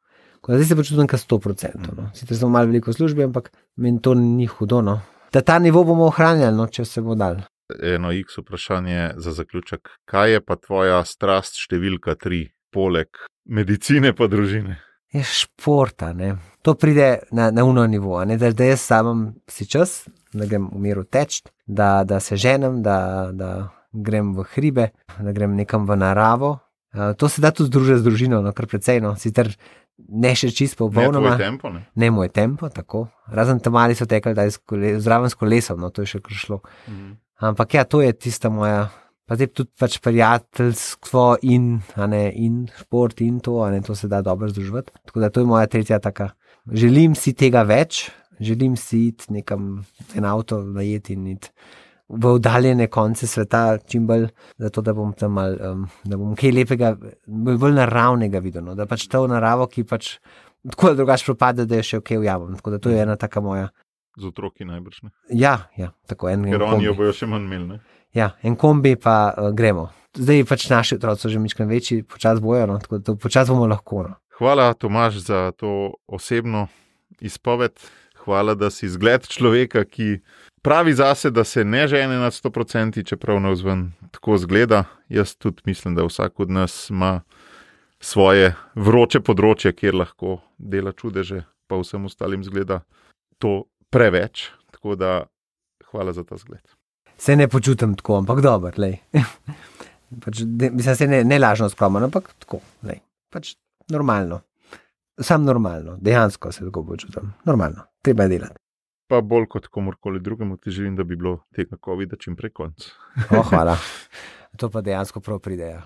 Zdaj se počutim ka 100%. No. Sicer sem malo veliko v službi, ampak meni to ni hudo. No. Da ta nivo bomo ohranjali, no, če se bo dal. Eno X vprašanje za zaključek. Kaj je pa tvoja strast številka 3, poleg medicine pa družine? Je športa, ne. To pride na uno nivo, ne. Da jaz samem si čas, da grem v miru teč, da se ženem, da grem v hribe, da grem nekam v naravo. To se da tudi združiti z družino, no, kar precej, no. Sicer ne še čisto popolnoma. Ne tvoj tempo, ne? Ne moj tempo, tako. Razen tam mali so tekali, da je zraven s kolesom, no, to je še kar šlo. Ampak ja, to je tista moja, pa zdaj tudi pač prijateljstvo in šport in to se da dobro združiti. Tako da to je moja tretja taka. Želim si tega več, želim si iti nekam en avto najeti in iti v oddaljene konce sveta čim bolj, zato da bom tam mal, da bom kaj lepega, bolj naravnega videl, no? Da pač to naravo, ki pač tako ali drugače propade, da je še ok ujamem. Tako da to je ena taka moja. Z otroki najbrž, ne? Ja, tako en kombi. Ker oni jo bojo še manj imeli, ne? Ja, en kombi pa gremo. Zdaj pač naši otroci so že mičkeno večji, počas bojo, no? Tako da počas bomo lahko, no? Hvala, Tomaž, za to osebno izpoved. Hvala, da si zgled človeka, ki pravi zase, da se ne žene nad 100%, čeprav navzven tako zgleda. Jaz tudi mislim, da vsak od nas ima svoje vroče področje, kjer lahko dela čudeže, pa vsem ostalim zgleda to preveč. Tako da hvala za ta zgled. Se ne počutim tako, ampak dobro, lej. Mislim, se ne lažno skromno, ampak tako, lej. Pač normalno. Sam normalno, dejansko se tako počutim. Normalno, treba je delati. Pa bolj kot komorkoli drugemu ti želim, da bi bilo tega COVID-a čim prej konc. Hvala. To pa dejansko prav pridejo.